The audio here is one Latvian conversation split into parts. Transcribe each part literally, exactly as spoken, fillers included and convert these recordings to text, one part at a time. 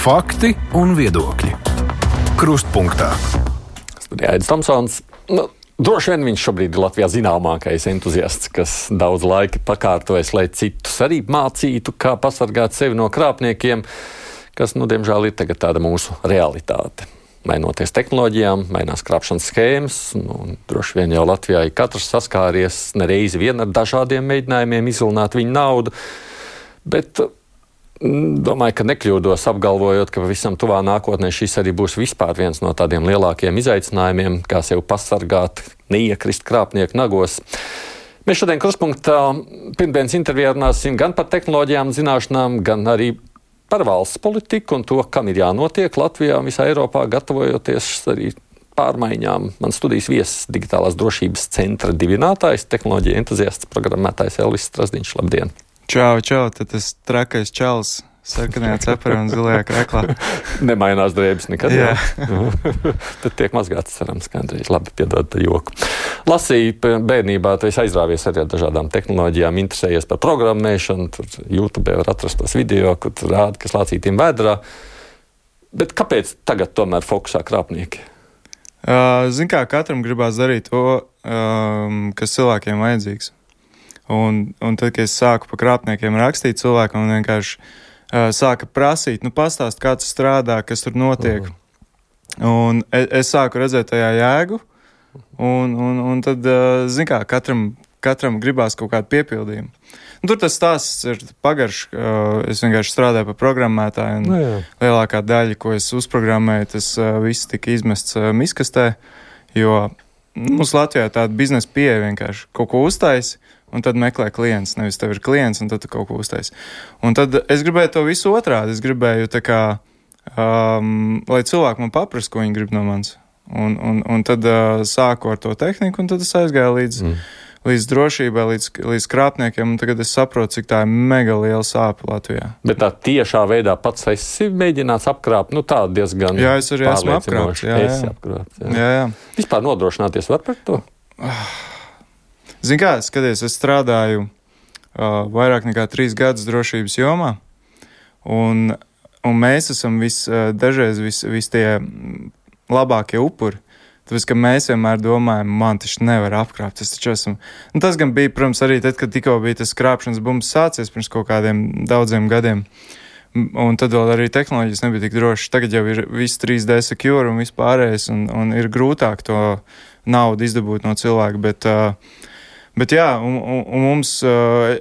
Fakti un viedokļi. Krustpunktā. Studijā Aidis Tomsons. Nu, droši vien viņš šobrīd ir Latvijā zināmākais entuziasts, kas daudz laika pakārtojas, lai citus arī mācītu, kā pasargāt sevi no krāpniekiem, kas, nu, diemžēl, ir tagad tāda mūsu realitāte. Mainoties tehnoloģijām, mainās krāpšanas schēmas, nu, droši vien jau Latvijā ir katrs saskāries nereizi vien ar dažādiem mēģinājumiem izvilināt viņu naudu, bet domāju, ka nekļūdos apgalvojot, ka pavisam tuvā nākotnē šis arī būs vispār viens no tādiem lielākiem izaicinājumiem, kā sev pasargāt, neiekrist krāpnieku nagos. Mēs šodien Krustpunktā pirmdienas intervijā runāsim gan par tehnoloģijām, zināšanām, gan arī par valsts politiku un to, kam ir jānotiek Latvijā un visā Eiropā, gatavojoties arī pārmaiņām. Man studijas viesis Digitālās drošības centra dibinātājs, tehnoloģija entuziasts, programmētājs Elvis Strasdiņš. Labdien! Čau, čau, tad tas trakais čalis sarkanajā cepurā un zilajā krēklā. Nemainās drēbes nekad. Jā. Tad tiek mazgāts, cerams, kādreiz. Labi, piedod tā joku. Lasīju bērnībā, tu esi aizrāvies arī ar dažādām tehnoloģijām, interesējies par programmēšanu, tur YouTube var atrast tos video, kur tur rāda, kas lācītiem vēdrā. Bet kāpēc tagad tomēr fokusā krāpnieki? Uh, zin kā, katram gribās darīt to, um, kas cilvēkiem vajadzīgs. Un, un tad, kad es sāku par krāpniekiem rakstīt cilvēkam, un vienkārši uh, sāka prasīt, nu pastāst, kā tas strādā, kas tur notiek. Uh-huh. Un es, es sāku redzēt tajā jēgu, un, un, un tad, uh, zin kā, katram, katram gribās kaut kādu piepildījumu. Un tur tas stāsts ir pagarš, uh, es vienkārši strādāju par programmētāju, un no, lielākā daļa, ko es uzprogrammēju, tas uh, viss tika izmests uh, miskastē, jo mums Latvijā tāda biznesa pieeja vienkārši kaut ko uztaisi, un tad meklē klients, nevis tev ir klients, un tad tu kaut ko uztaisi. Un tad es gribēju to visu otrādi, es gribēju tā kā, um, lai cilvēki man paprast, ko viņi grib no manis. Un, un, un tad uh, sāku ar to tehniku, un tad es aizgāju līdz, mm. līdz drošībai, līdz, līdz krāpniekiem, un tagad es saprotu, cik tā ir mega liela sāpe Latvijā. Bet tā tiešā veidā pats esi mēģināts apkrāpt, nu tā diezgan jā, es arī esmu apkrāpts. Jā, jā. Apkrāpt, jā. Jā, jā. Vispār nodrošināties var par to? Zin kā, skaties, es strādāju uh, vairāk nekā trīs gadus drošības jomā, un, un mēs esam vis, uh, dažreiz vis, vis tie labākie upuri. Tāpēc, ka mēs vienmēr domājam, man taču nevar apkrāpt, es taču esmu. Un tas gan bija, protams, arī tad, kad tikko bija tas krāpšanas bums sācies pirms kaut kādiem daudziem gadiem. Un tad vēl arī tehnoloģijas nebija tik drošas. Tagad jau ir viss trīs D secure un viss pārējais, un, un ir grūtāk to naudu izdabūt no cilvēka, bet... Uh, Bet jā, un, un, un mums,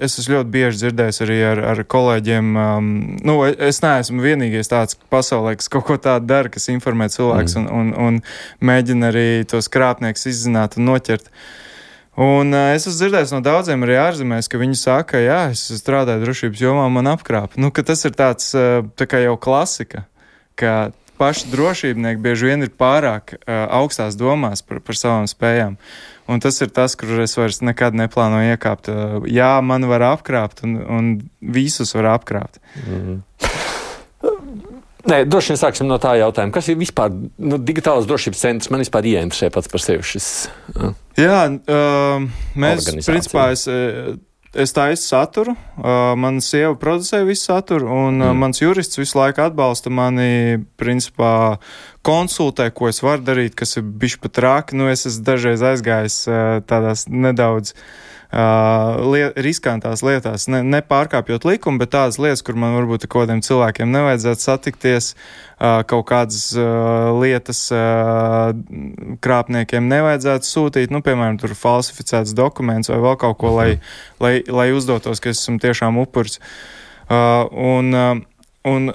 es esmu ļoti bieži dzirdējis arī ar, ar kolēģiem, um, nu, es neesmu vienīgais tāds pasaulē, kas kaut ko tādu dara, kas informē cilvēks mm. un, un, un mēģina arī tos krāpniekus izzināt un noķert. Un uh, es esmu dzirdējis no daudziem arī ārzemēs, ka viņi saka, jā, es strādāju drošības jomā, man apkrāp. Nu, ka tas ir tāds, uh, tā kā jau klasika, ka paši drošībnieki bieži vien ir pārāk uh, augstās domās par, par savām spējām. Un tas ir tas, kur es vairs nekad neplānoju iekāpt. Jā, man var apkrāpt, un, un visus var apkrāpt. Mm. Nē, droši vien sāksim no tā jautājuma. Kas ir vispār nu, digitālās drošības centrs? Man vispār ieinteresē pats par sevi šis. Uh, Jā, uh, mēs, principā, es, es taisu saturu, uh, mana sieva producē visu saturu, un uh, mm. mans jurists visu laiku atbalsta mani, principā, konsultē, ko es varu darīt, kas ir bišķi pat rāki. Nu, es esmu dažreiz aizgājis uh, tādās nedaudz uh, liet, riskantās lietās, ne, nepārkāpjot likumu, bet tādas lietas, kur man varbūt ar kādiem cilvēkiem nevajadzētu satikties, uh, kaut kādas uh, lietas uh, krāpniekiem nevajadzētu sūtīt, nu, piemēram, tur falsificēts dokuments vai vēl kaut ko, lai, lai, lai uzdotos, ka esmu tiešām upuris. Uh, un, uh, un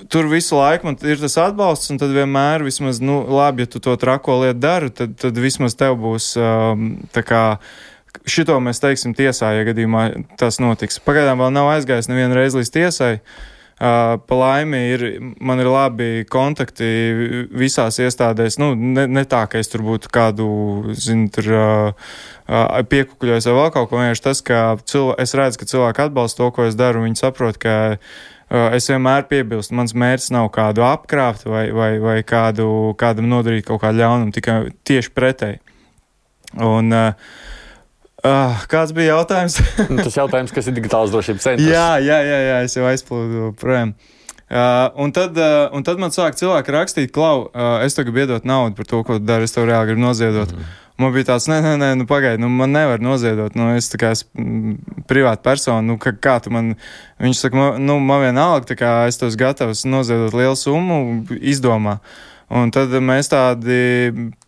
Tur visu laiku man ir tas atbalsts, un tad vienmēr vismaz, nu, labi, ja tu to trako lietu dari, tad, tad vismaz tev būs um, tā kā šito mēs teiksim tiesā, ja gadījumā tas notiks. Pagaidām vēl nav aizgājis nevienu reizi līdz tiesai. Uh, pa laimi ir, man ir labi kontakti visās iestādēs, nu, ne, ne tā, ka es tur būtu kādu, zinu, tur uh, uh, piekukuļojos vai vēl kaut ko, vienkārši tas, ka cilvē, es redzu, ka cilvēki atbalsta to, ko es daru, un viņi saprot, ka es vienmēr piebilstu, mans mērķis nav kādu apkrāpt vai, vai, vai kādu, kādam nodarīt kaut kādu ļaunumu, tikai tieši pretēji. Un uh, uh, kāds bija jautājums? Tas jautājums, kas ir digitālās drošības centrs. jā, jā, jā, jā, es jau aizplūdu projām. Uh, un, tad, uh, un tad man sāk cilvēki rakstīt, Klau, uh, es tagad iedot naudu par to, ko tu dari, es tev reāli gribu noziedot. Mm. Man bija tāds, nē, nē, nē, nu pagaidi, nu man nevar noziedot, nu es tā kā esmu privāta persona, nu kā, kā tu man, viņš saka, man, nu man vienalga, tā kā es tos gatavs noziedot lielu summu, izdomā. Un tad mēs tādi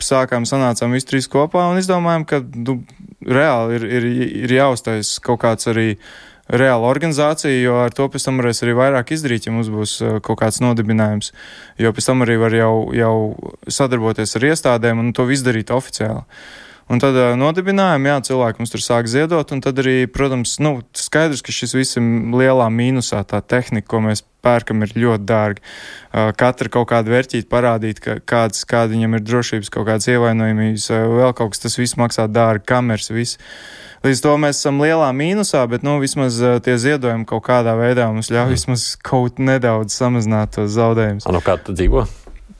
sākām, sanācām visi trīs kopā un izdomājām, ka nu, reāli ir, ir, ir jāuztais kaut kāds arī reāla organizācija, jo ar to pēc tam varēs arī vairāk izdarīt, ja mums būs kaut kāds nodibinājums. Jo pēc tam arī var jau, jau sadarboties ar iestādēm un to visu darīt oficiāli. Un tad nodibinājām, jā, cilvēki mums tur sāk ziedot, un tad arī, protams, nu, skaidrs, ka šis viss ir lielā mīnusā, tā tehnika, ko mēs pērkam, ir ļoti dārgi. Katra kaut kāda vērķīte parādīt, ka kāds, kāda viņam ir drošības, kaut kādas ievainojumības, vēl kaut kas, tas viss maksā dārgi, kameras, viss. Līdz to mēs esam lielā mīnusā, bet, nu, vismaz tie ziedojumi kaut kādā veidā mums ļauj vismaz kaut nedaudz samazināt tos zaudējumus. A, no kā tu dzīvo?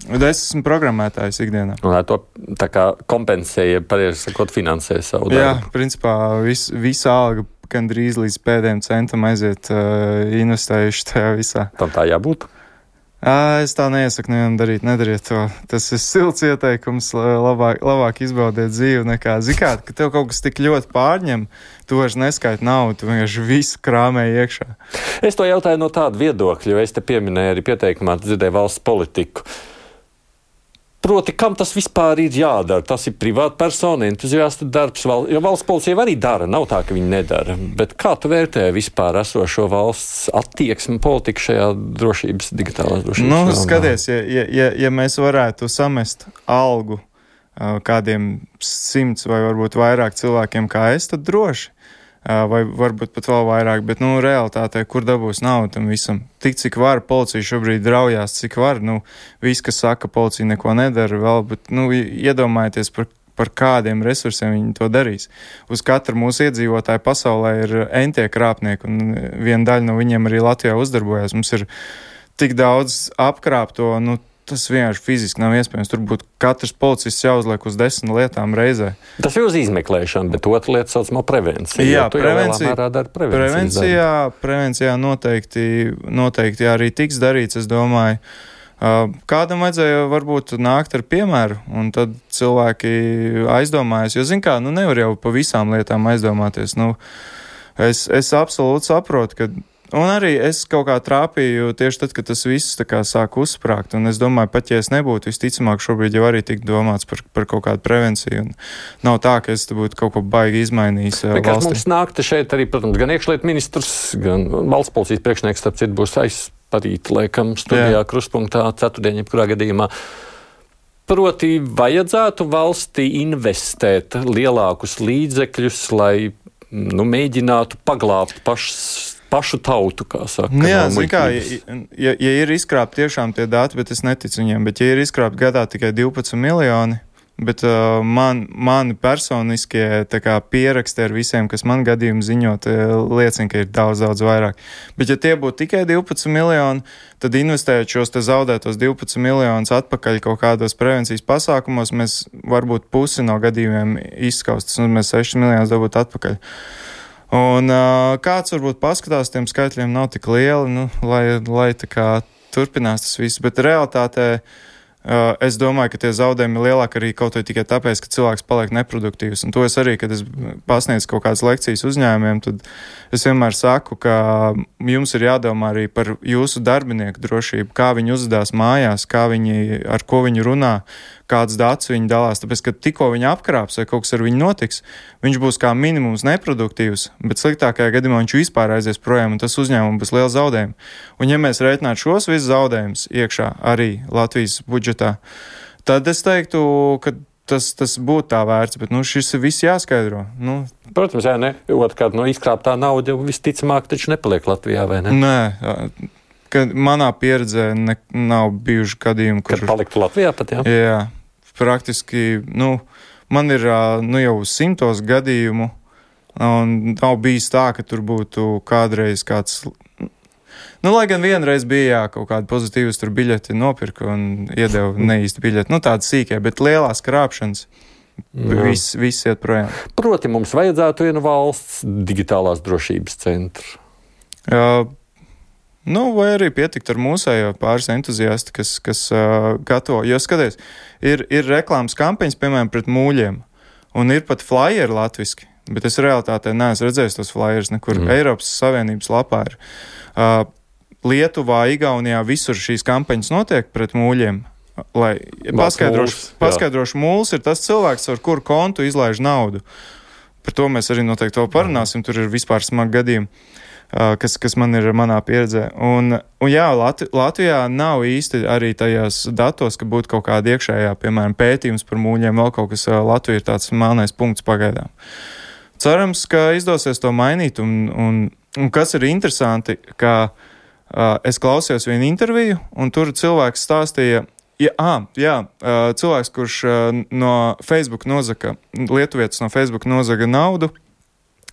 Es esmu programmētājs ikdienā. Un lai to tā kā kompensēja, pareizi sakot, finansē savu darbu. Jā, principā vis, visa alga gandrīz līdz pēdējiem centam aiziet uh, investējuši tajā visā. Tam tā jābūt? Uh, es tā neiesaku nevienam darīt, nedariet to. Tas ir silts ieteikums, labāk, labāk izbaudiet dzīvi nekā zikāt, ka tev kaut kas tik ļoti pārņem, tu vairs neskaiti naudu, tu vienkārši visu krāmēji iekšā. Es to jautāju no tāda viedokļa, jo es te pieminēju arī pieteikumā, dzirdēju valsts politiku. Proti, kam tas vispār ir jādara? Tas ir privāta persona, entuziasta darbs, val... jo valsts policija arī dara, nav tā, ka viņi nedara. Bet kā tu vērtē vispār esošo valsts attieksmi politiku šajā drošības, digitālās drošības? Nu, skaties, ja, ja, ja mēs varētu samest algu uh, kādiem simts vai varbūt vairāk cilvēkiem kā es, tad droši. Vai varbūt pat vēl vairāk, bet, nu, realitātē, kur dabūs naudu tam visam? Tik, cik var, policija šobrīd draujās, cik var, nu, viss, kas saka, policija neko nedara vēl, bet, nu, iedomājieties par, par kādiem resursiem viņi to darīs. Uz katru mūsu iedzīvotāju pasaulē ir entie krāpnieki, un viena daļa no viņiem arī Latvijā uzdarbojas. Mums ir tik daudz apkrāpto, nu, tas vienkārši fiziski nav iespējams. Tur būtu katrs policists jāuzliek uz desmit lietām reizē. Tas ir uz izmeklēšanu, bet otra lieta saucamā prevencija. Jā, prevencija, prevencijā, prevencijā noteikti, noteikti arī tiks darīts, es domāju. Kādam vajadzēja varbūt nākt ar piemēru, un tad cilvēki aizdomājas, jo, zin kā, nu nevar jau pa visām lietām aizdomāties. Nu, es, es absolūti saprotu, ka un arī es kaut kā trāpīju tieši tad, kad tas viss tā kā sāk uzsprāgt, un es domāju, pat ja es nebūtu, visticamāk šobrīd jau arī tik domāts par, par kaut kādu prevenciju, un nav tā, ka es te būtu kaut ko baigi izmainījis valstī. Kas mums nāk te šeit arī, protams, gan iekšlietu ministrs, gan valsts policijas priekšnieks, starp citu, būs aizparīt, laikam, studijā Krustpunktā, ceturtdien, jebkurā gadījumā. Proti, vajadzētu valstī investēt lielākus līdzekļus, lai, nu, mēģinātu paglābt pašas pašu tautu, kā saka. Nu jā, zin kā, ja, ja ir izkrāpt tiešām tie dati, bet es neticu viņiem, bet ja ir izkrāpt gadā tikai divpadsmit miljoni, bet uh, man, mani personiskie tā kā pieraksti ar visiem, kas man gadījumu ziņot, liecina, ka ir daudz, daudz vairāk. Bet ja tie būtu tikai divpadsmit miljoni, tad investējot šos te zaudētos divpadsmit miljonus atpakaļ kaut kādos prevencijas pasākumos, mēs varbūt pusi no gadījumiem izskaustas, un mēs sešas miljonus dabūtu atpakaļ. Un uh, kāds varbūt paskatās, tiem skaitļiem nav tik lieli, nu, lai, lai tā kā turpinās tas viss, bet realitātē uh, es domāju, ka tie zaudējumi ir lielāki arī kaut vai tikai tāpēc, ka cilvēks paliek neproduktīvs. Un to es arī, kad es pasniedzu kaut kādas lekcijas uzņēmumiem, tad es vienmēr saku, ka jums ir jādomā arī par jūsu darbinieku drošību, kā viņi uzvedās mājās, kā viņi, ar ko viņi runā, kāds dats viņi dalās, tāpēc, ka tikko viņi apkrāps vai kaut kas ar viņu notiks, viņš būs kā minimums neproduktīvs, bet sliktākajā gadījumā viņš vispār aizies projām, un tas uzņēmums būs liels zaudējums. Un ja mēs rēķinātu šos visus zaudējumus iekšā arī Latvijas budžetā, tad es teiktu, ka tas, tas būtu tā vērts, bet, nu, šis ir viss jāskaidro. Nu, Protams, jā, ne, otrkārt, no izkrāptā nauda visticamāk taču nepaliek Latvijā, vai ne? Nē, ka manā pieredzē ne, nav bijuši gadījumi, kur... Kad paliktu Latvijā pat, jā? Jā. Praktiski, nu, man ir nu, jau simtos gadījumu, un nav bijis tā, ka tur būtu kādreiz kāds, nu, lai gan vienreiz bija, jā, kaut kāda pozitīvas tur biļeti nopirka un iedeva neīsti biļeti, nu, tāda sīkē, bet lielās krāpšanas, viss, viss iet projām. Proti, mums vajadzētu vienu valsts digitālās drošības centru. Uh, Nu, vai arī pietikt ar mūsējo pāris entuziasti, kas, kas uh, gatavo. Jo skaties, ir, ir reklāmas kampaņas, piemēram, pret mūļiem, un ir pat flyeri latviski, bet es realitātē neesmu redzējis tos flyerus, nekur mm. Eiropas Savienības lapā ir. Uh, Lietuvā, Igaunijā visur šīs kampaņas notiek pret mūļiem. Lai paskaidrošu, paskaidrošu mūls ir tas cilvēks, ar kuru kontu izlaiž naudu. Par to mēs arī noteikti vēl parunāsim, tur ir vispār smagi gadījumi. Kas, kas man ir manā pieredzē. Un, un jā, Latvi, Latvijā nav īsti arī tajās datos, ka būtu kaut kāda iekšējā, piemēram, pētījums par mūļiem, vēl kaut kas. Latvija ir tāds melnais punkts pagaidām. Cerams, ka izdosies to mainīt, un, un, un kas ir interesanti, ka uh, es klausījos vienu interviju, un tur cilvēks stāstīja, ja, ah, jā, uh, cilvēks, kurš uh, no Facebook nozaga, lietuvietis no Facebook nozaga naudu,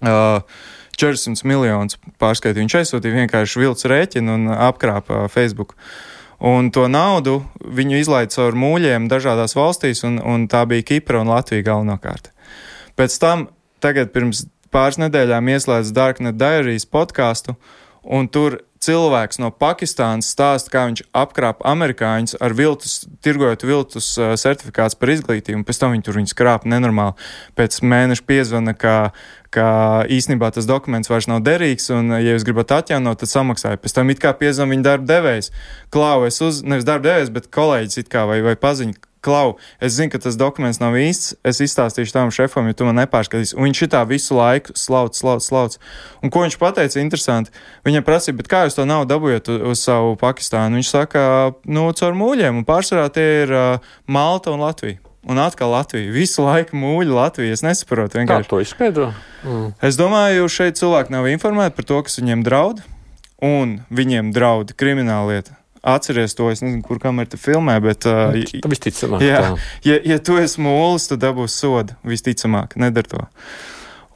uh, četrdesmit miljonus pārskaitīja. Viņš aizsūtīja vienkārši vilts rēķinu un apkrāpa Facebook. Un to naudu viņu izlaida caur mūļiem dažādās valstīs, un, un tā bija Kipra un Latvija galvenokārt. Pēc tam tagad pirms pāris nedēļām ieslēdz Darknet Diaries podcastu, un tur cilvēks no Pakistānas stāsta, kā viņš apkrāpa amerikāņus ar viltus, tirgojot viltus uh, certifikāts par izglītību, un pēc tam viņi tur viņus krāpa nenormāli. Pēc mēneša piezvana, ka, ka īstenībā tas dokuments vairs nav derīgs, un ja jūs gribat atjaunot, tad samaksāja. Pēc tam it kā piezvana viņa darba devējs. Klau, es uz, nevis darba devējs, bet kolēģis it kā vai, vai paziņa. Klau, es zinu, ka tas dokuments nav īsts, es izstāstīšu tam šefam, jo tu man nepārskatīsi. Un viņš šitā visu laiku slauc, slauc, slauc. Un ko viņš pateica, interesanti, viņam prasīja, bet kā jūs to naudu dabūjat uz, uz savu Pakistānu? Viņš saka, nu, caur mūļiem, un pārsvarā tie ir uh, Malta un Latvija. Un atkal Latvija. Visu laiku mūļi Latvija, es nesaprotu. Vienkārši. Kā to izskaidro? Mm. Es domāju, šeit cilvēki nav informēti par to, kas viņiem draud, un viņiem draud krimināla lieta. Atceries to, es nezinu, kur kamera te filmē, bet... Uh, tā visticamāk. Jā, ja, ja tu esi mūlis, tad dabūs sodu, visticamāk, nedar to.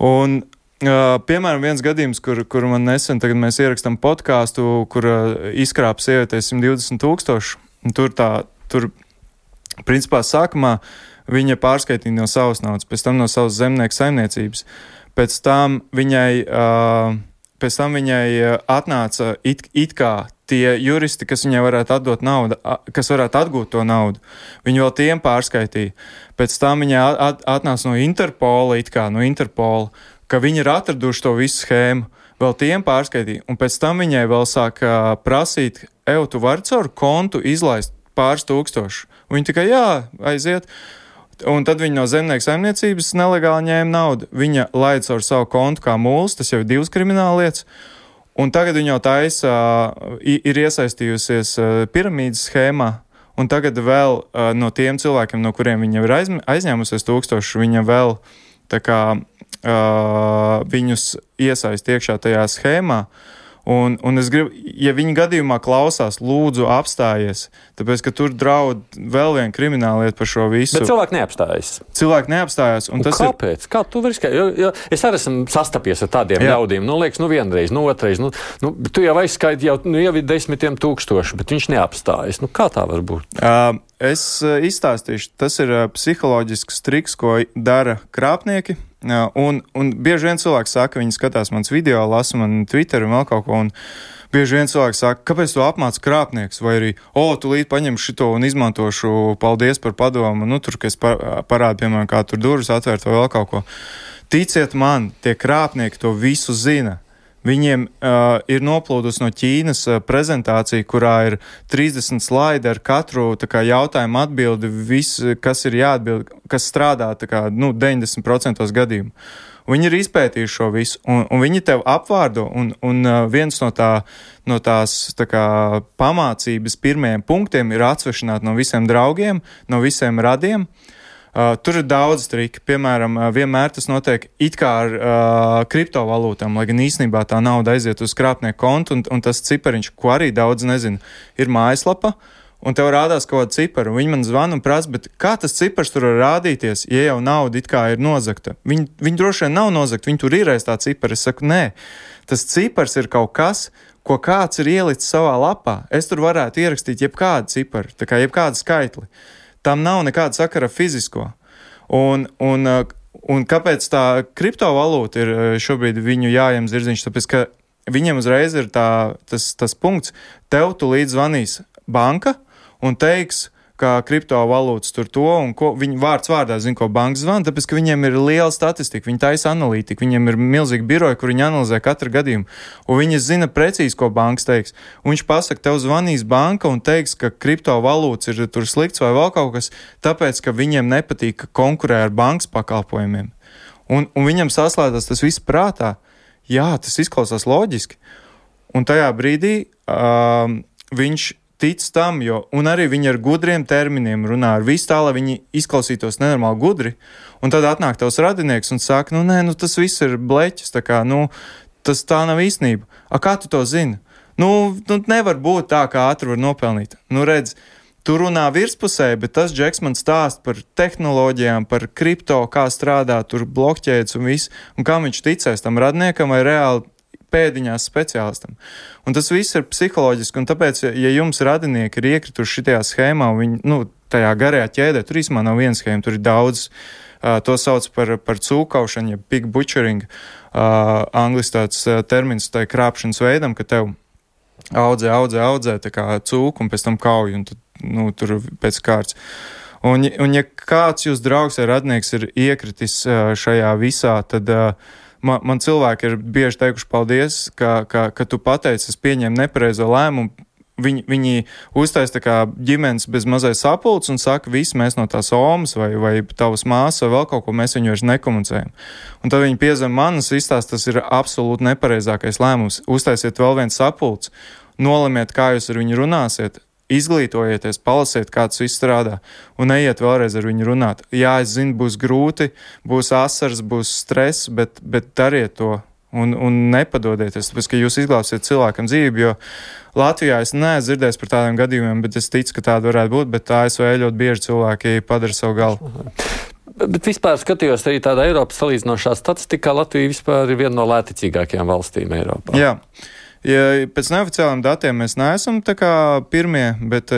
Un, uh, piemēram, viens gadījums, kur, kur man nesen, tagad mēs ierakstām podkāstu, kur uh, izkrāpa sievietē simt divdesmit tūkstoši, un tur tā, tur, principā, sākumā viņa pārskaitīja no savas naudas, pēc tam no savas zemnieku saimniecības, pēc tam viņai... Uh, Pēc tam viņai atnāca it, it kā tie juristi, kas viņai varētu atdot naudu, kas varētu atgūt to naudu. Viņi vēl tiem pārskaitīja. Pēc tam viņai at, atnāca no Interpola, it kā no Interpola, ka viņi ir atraduši to visu schēmu. Vēl tiem pārskaitīja. Un pēc tam viņai vēl sāk uh, prasīt, ev, tu vari caur kontu izlaist pāris tūkstošu. Un viņi tikai, jā, aiziet. Un tad viņa no zemnieku saimniecības nelegāli ņēma naudu. Viņa laida caur savu kontu kā mūls, tas jau ir divas krimināla lietas. Un tagad viņa jau taisa, ir iesaistījusies piramīdas schēmā. Un tagad vēl no tiem cilvēkiem, no kuriem viņa ir aizņēmusies tūkstoši, viņa vēl tā kā viņus iesaist iekšā tajā schēmā. Un, un es gribu, ja viņi gadījumā klausās, lūdzu apstājies, tāpēc, ka tur draud vēl viena krimināla lieta par šo visu. Bet cilvēki neapstājas. Cilvēki neapstājas. Un un tas kāpēc? Ir... Kā tu vari skaidrot? Jo, jo es arī esmu sastapies ar tādiem Jā. ļaudīm. Nu, liekas, nu vienreiz, nu otrais. Nu, nu, tu jau aizskaiti, jau, nu, jau ir desmitiem tūkstoši, bet viņš neapstājas. Nu, kā tā var būt? Uh, es uh, izstāstīšu. Tas ir uh, psiholoģisks triks, ko dara krāpnieki. Jā, un, un bieži vien cilvēks saka, viņi skatās mans video, lasa man Twitter un vēl kaut ko, un bieži vien cilvēks saka, kāpēc tu apmāc krāpnieks, vai arī, o, tu līdz paņemšu šito un izmantošu, paldies par padomu, nu, tur, ka es parādu, piemēram, kā tur durvis atvērt vai vēl kaut ko. Ticiet man, tie krāpnieki to visu zina. Viņiem uh, ir noplūdus no Ķīnas uh, prezentācija, kurā ir trīsdesmit slaidi ar katru tā kā, jautājumu atbildi, viss, kas ir jāatbild, kas strādā tā kā, nu, deviņdesmit procenti gadījumu. Viņi ir izpētījuši šo visu, un, un viņi tev apvārdo, un, un uh, viens no, tā, no tās tā kā, pamācības pirmajiem punktiem ir atsvešināt no visiem draugiem, no visiem radiem. Uh, tur ir daudz triki. Piemēram, uh, vienmēr tas notiek it kā ar uh, kriptovalūtām, lai gan īstenībā tā nauda aiziet uz krāpnieku kontu, un, un tas cipariņš, ko arī daudz nezinu, ir mājaslapa, un tev rādās kaut kāda cipara. Viņi man zvana un prasa, bet kā tas cipars tur var rādīties, ja jau nauda it kā ir nozagta? Viņi, viņi droši vien nav nozagta, viņi tur ir aiz tā cipara. Es saku, nē, tas cipars ir kaut kas, ko kāds ir ielicis savā lapā. Es tur varētu ierakstīt jebkādu ciparu, tā kā jebkādu skaitli. Tam nav nekāda sakara fizisko. Un, un, un kāpēc tā kriptovalūta ir šobrīd viņu jājam zirdziņš? Tāpēc, ka viņiem uzreiz ir tā, tas, tas punkts, tev tu līdz zvanīs banka un teiks, ka kriptovalūtas tur to, un ko, viņi vārds vārdā zina, ko banka zvana, tāpēc, ka viņiem ir liela statistika, viņi taisa analītika, viņiem ir milzīgi biroji, kur viņi analizē katru gadījumu, un viņi zina precīzi, ko bankas teiks. Un viņš pasaka, tev zvanīs banka un teiks, ka kriptovalūtas ir tur slikts vai vēl kaut kas, tāpēc, ka viņiem nepatīk, ka konkurē ar bankas pakalpojumiem. Un, un viņam saslēdās tas viss prātā. Jā, tas izklausās loģiski. Un tajā brīdī uh, viņš tic tam, jo, un arī viņi ar gudriem terminiem runā ar visu tā, lai viņi izklausītos nenormāli gudri, un tad atnāk tavs radinieks un saka, nu nē, nu tas viss ir bleķis, tā kā, nu, tas tā nav īstenība. A, kā tu to zini? Nu, nu nevar būt tā, kā ātri var nopelnīt. Nu, redz, tu runā virspusē, bet tas Džeks man stāst par tehnoloģijām, par kripto, kā strādā, tur blokķēdes un viss, un kā viņš ticēs tam radniekam vai reāli pēdiņās speciālistam. Un tas viss ir psiholoģiski, un tāpēc, ja jums radinieki ir iekrituši šitajā schēmā, un viņi, nu, tajā garajā ķēdē, tur īstenībā nav viena schēma, tur ir daudz, uh, to sauc par, par cūkaušanu, ja pig butchering, uh, angliski tāds uh, termins tai krāpšanas veidam, ka tev audzē, audzē, audzē, tā kā cūku, un pēc tam kauj, un tu, nu, tur pēc kārts. Un, un ja kāds jūs draugs vai radnieks ir iekritis uh, šajā visā, tad uh, Man, man cilvēki ir bieži teikuši paldies, ka, ka, ka tu pateici, es pieņēmu nepareizo lēmumu. Viņi, viņi uztais tā kā ģimenes bez mazai sapulces un saka, visi mēs no tās omas vai, vai tavas māsas vai vēl kaut ko, mēs viņu vairs nekomunicējam. Un tad viņi piezem manas izstāst, tas ir absolūti nepareizākais lēmums. Uztaisiet vēl viens sapulces, nolemiet, kā jūs ar viņu runāsiet, izglītojieties, palasiet, kā tas viss strādā, un neiet vēlreiz ar viņu runāt. Jā, es zinu, būs grūti, būs asars, būs stress, bet, bet dariet to un, un nepadodieties, tāpēc, ka jūs izglābsiet cilvēkam dzīvi, jo Latvijā es neesmu dzirdējis par tādiem gadījumiem, bet es ticu, ka tāda varētu būt, bet A S V ļoti bieži cilvēki padara savu galu. Bet vispār skatījos arī tādā Eiropas salīdzinošā statistikā, Latvija vispār ir viena no lēticīgākajām valstīm Eiropā. Jā. Ja pēc neoficiāliem datiem mēs neesam tā kā pirmie, bet,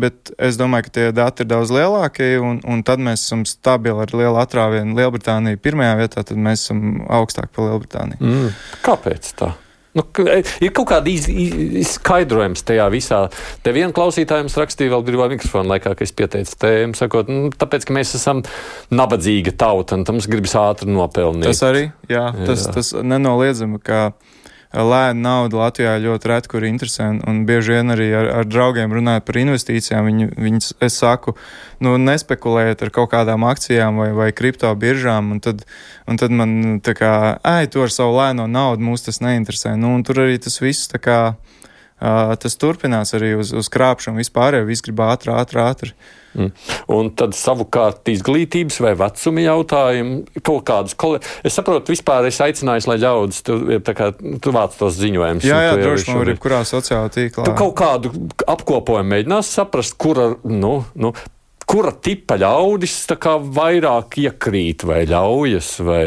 bet es domāju, ka tie dati ir daudz lielākie, un, un tad mēs esam stabili ar lielu atrāvienu. Lielbritānija pirmajā vietā, tad mēs esam augstāk par Lielbritāniju. Mm, kāpēc tā? Nu, ir kaut kāda iz, iz, skaidrojums tajā visā. Te viena klausītājums rakstīja vēl brīvā mikrofona laikā, ka es pieteicu tēmu, sakot, nu, tāpēc, ka mēs esam nabadzīga tauta, un tam gribas ātri nopelnīt. Tas arī, jā, tas, jā. Tas nenoliedzami, ka lēna nauda Latvijā ļoti reti, kur interesē, un, un bieži vien arī ar, ar draugiem runājot par investīcijām, viņi, viņi, es saku, nu, nespekulējiet ar kaut kādām akcijām vai, vai kripto biržām, un tad, un tad man tā kā, ej, tu ar savu lēno naudu, mūs tas neinteresē, nu, un tur arī tas viss tā kā, uh, tas turpinās arī uz, uz krāpšanu vispār, jo viss grib ātri, ātri, ātri. Mm. Un tad savukārt izglītības vai vecuma jautājumu kaut kādus, kol... es saprotu, vispār es aicināju, lai ļaudis, tu, tā kā, tu vāc tos ziņojumus. Jā, jā, droši man var ir kurā sociālā tīklā. Tu kaut kādu apkopojumu mēģinās saprast, kura, nu, nu, kura tipa ļaudis tā kā vairāk iekrīt vai ļaujas, vai,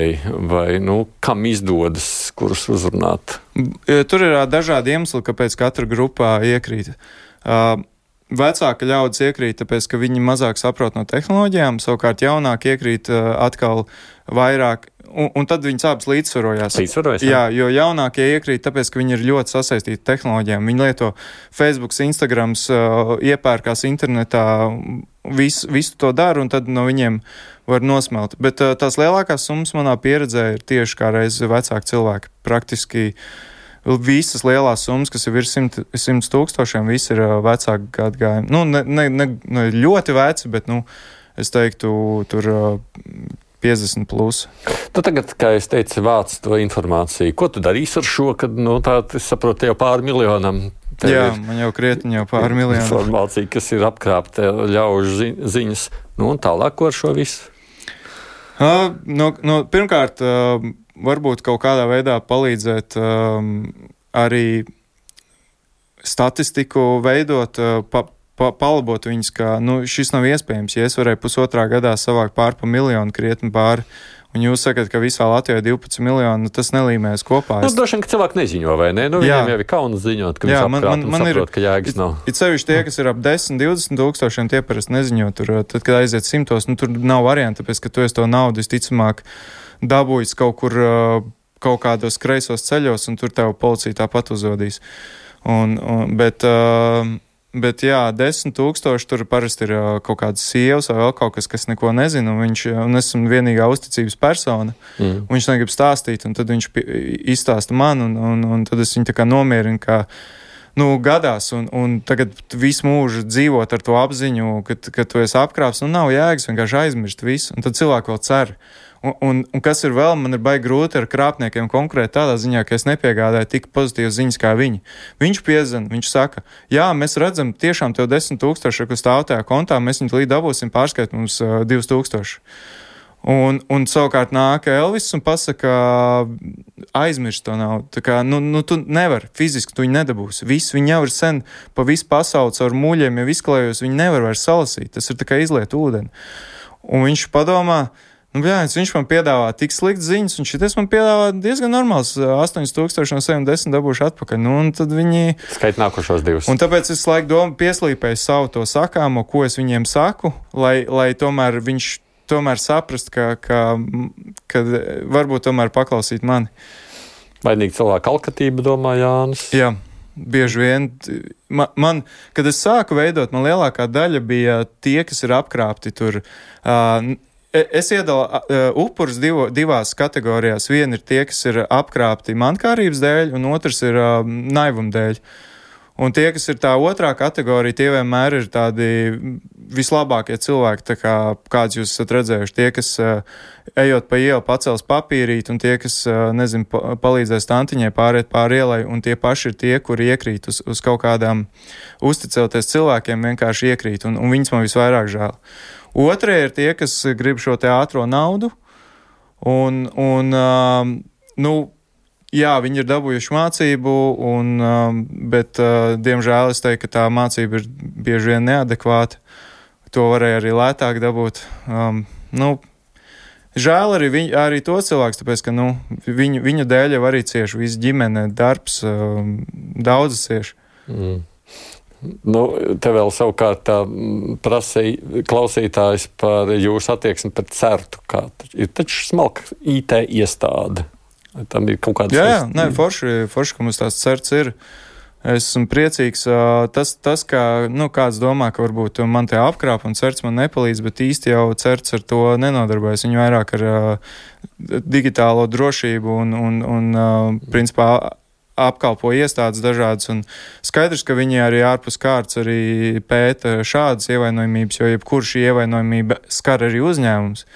vai nu, kam izdodas, kurus uzrunāt? Tur ir dažādi iemesli, kāpēc katra grupā iekrīt. Uh, Vecāka ļaudis iekrīt, tāpēc, ka viņi mazāk saprot no tehnoloģijām, savukārt jaunāk iekrīt uh, atkal vairāk, un, un tad viņas abas līdzsvarojās. Līdzsvarojas, jā, jo jaunākie iekrīt, tāpēc, ka viņi ir ļoti sasaistīti tehnoloģijām. Viņi lieto Facebook, Instagrams, uh, iepērkās internetā, visu, visu to dara, un tad no viņiem var nosmelt. Bet uh, tās lielākās summas manā pieredzē ir tieši kā reiz vecāki cilvēki. Praktiski visas lielās summas, kas ir virs simt, simts tūkstošiem, visi ir uh, vecāki gadgājumi. Nu, ne, ne, ne, ne ļoti veci, bet, nu, es teiktu, tur uh, piecdesmit plus. Tu tagad, kā es teicu, vāc to informāciju. Ko tu darīsi ar šo, kad, nu, tā, es saprotu, jau pāri miljonam? Jā, man jau krietni jau pāri miljonam. Informācija, kas ir apkrāpta ļaužu zi, ziņas. Nu, un tālāk, ko ar šo visu? Uh, no, no, pirmkārt, uh, varbūt kaut kādā veidā palīdzēt um, arī statistiku veidot, uh, pa, pa, palabot viņus, ka nu, šis nav iespējams. Ja es varēju pusotrā gadā savākt pār pa miljonu krietni pāri, un jūs sakat, ka visā Latvijā divpadsmit miljoni, nu, tas nelīmēs kopā. Nu, droši vien, ka cilvēki neziņo, vai ne? Nu, viņiem jau ir kauns ziņot, ka jā, viņi apkrāt un man saprot, ir, ka jēgas nav. It sevišķi tie, kas ir ap desmit, divdesmit tūkstošiem, tie parasti neziņo. Tur, tad, kad aiziet simtos, nu, tur nav variantu, tāpēc, ka tu esi to naudu visticamāk dabūjis kaut kur uh, kaut kādos kreisos ceļos, un tur tev policija tāpat uzvadīs. Un, un, bet, uh, bet jā, desmit tūkstoši tur parasti ir uh, kaut kādas sievas vai vēl kaut kas, kas neko nezina, un, viņš, un es esmu vienīgā uzticības persona, mm. un viņš negrib stāstīt, un tad viņš izstāsta man, un, un, un tad es viņu tā kā nomierinu, ka nu, gadās, un, un tagad visu mūžu dzīvot ar to apziņu, ka, ka tu esi apkrāps, un nav jēgas vienkārši aizmirst visu, un tad cilvēki vēl cer. Un, un, un kas ir vēl, man ir baigi grūti ar krāpniekiem konkrēti tādā ziņā, ka es nepiegādāju tik pozitīvas ziņas kā viņi. Viņš piezvan, viņš saka, jā, mēs redzam tiešām tev desmit tūkstoši, kas stāv tajā kontā, mēs viņu līdz dabūsim pārskait mums uh, divus tūkstoši. Un, un savukārt nāk Elvis un pasaka, aizmirst to nav. Tā kā, nu, nu tu nevar, fiziski tu viņu nedabūsi. Viss, viņi jau ir sen pa visu pasauli caur muļiem, jau izklējos, viņi nevar vairs salasīt. Tas ir tā kā izliet ūdeni. Un viņš padomā, nu, jā, viņš man piedāvā tik slikts ziņas, un šitais man piedāvā diezgan normāls, astoņi tūkstoši no sevi un desmit dabūšu atpakaļ. Nu, un tad viņi... Skait nākošos divus. Un tāpēc es laiku domu pieslīpēju savu to sakāmo, ko es viņiem saku, lai, lai tomēr viņš tomēr saprast, ka, ka, ka varbūt tomēr paklausīt mani. Vainīgi cilvēku alkatība, domā Jānis. Jā. Bieži vien, man, man, kad es sāku veidot, man lielākā daļa bija tie, kas ir apkrāpti tur. Uh, Es iedalu uh, upurus divo, divās kategorijās. Viena ir tie, kas ir apkrāpti mankārības dēļ, un otrs ir uh, naivuma dēļ. Un tie, kas ir tā otrā kategorija, tie vienmēr ir tādi vislabākie cilvēki, tā kā kāds jūs esat redzējuši. Tie, kas uh, ejot pa ielu pacels papīrīt, un tie, kas, uh, nezinu, pa, palīdzēs tantiņai pāriet pāri ielai, un tie paši ir tie, kuri iekrīt uz, uz kaut kādām uzticēties cilvēkiem, vienkārši iekrīt, un, un viņus man visvairāk žēl. Otrie ir tie, kas grib šo te ātro naudu, un, un um, nu, jā, viņi ir dabūjuši mācību, un, um, bet, uh, diemžēl, es teiktu, ka tā mācība ir bieži vien neadekvāta. To varēja arī lētāk dabūt. Um, nu, žēl arī, viņ, arī to cilvēks, tāpēc, ka, nu, viņu, viņu dēļ jau arī cieši visa ģimene, darbs, um, daudzas cieši. Mm. Nu, te vēl savukārt tā prasīja klausītājs par jūsu attieksmi pret certu. Kā ir taču smalka I T iestāde. Tam ir kaut kāds... Jā, jā, nē, forši, forši, ka mums tās certs ir. Esmu priecīgs. Tas, tas kā, nu, kāds domā, ka varbūt man te apkrāp un certs man nepalīdz, bet īsti jau certs ar to nenodarbojas. Viņi vairāk ar uh, digitālo drošību un, un, un uh, principā, apkalpo iestādes dažādas, un skaidrs, ka viņi arī ārpus kārtas arī pēta šādas ievainojamības, jo jebkur šī ievainojamība skar arī uzņēmums.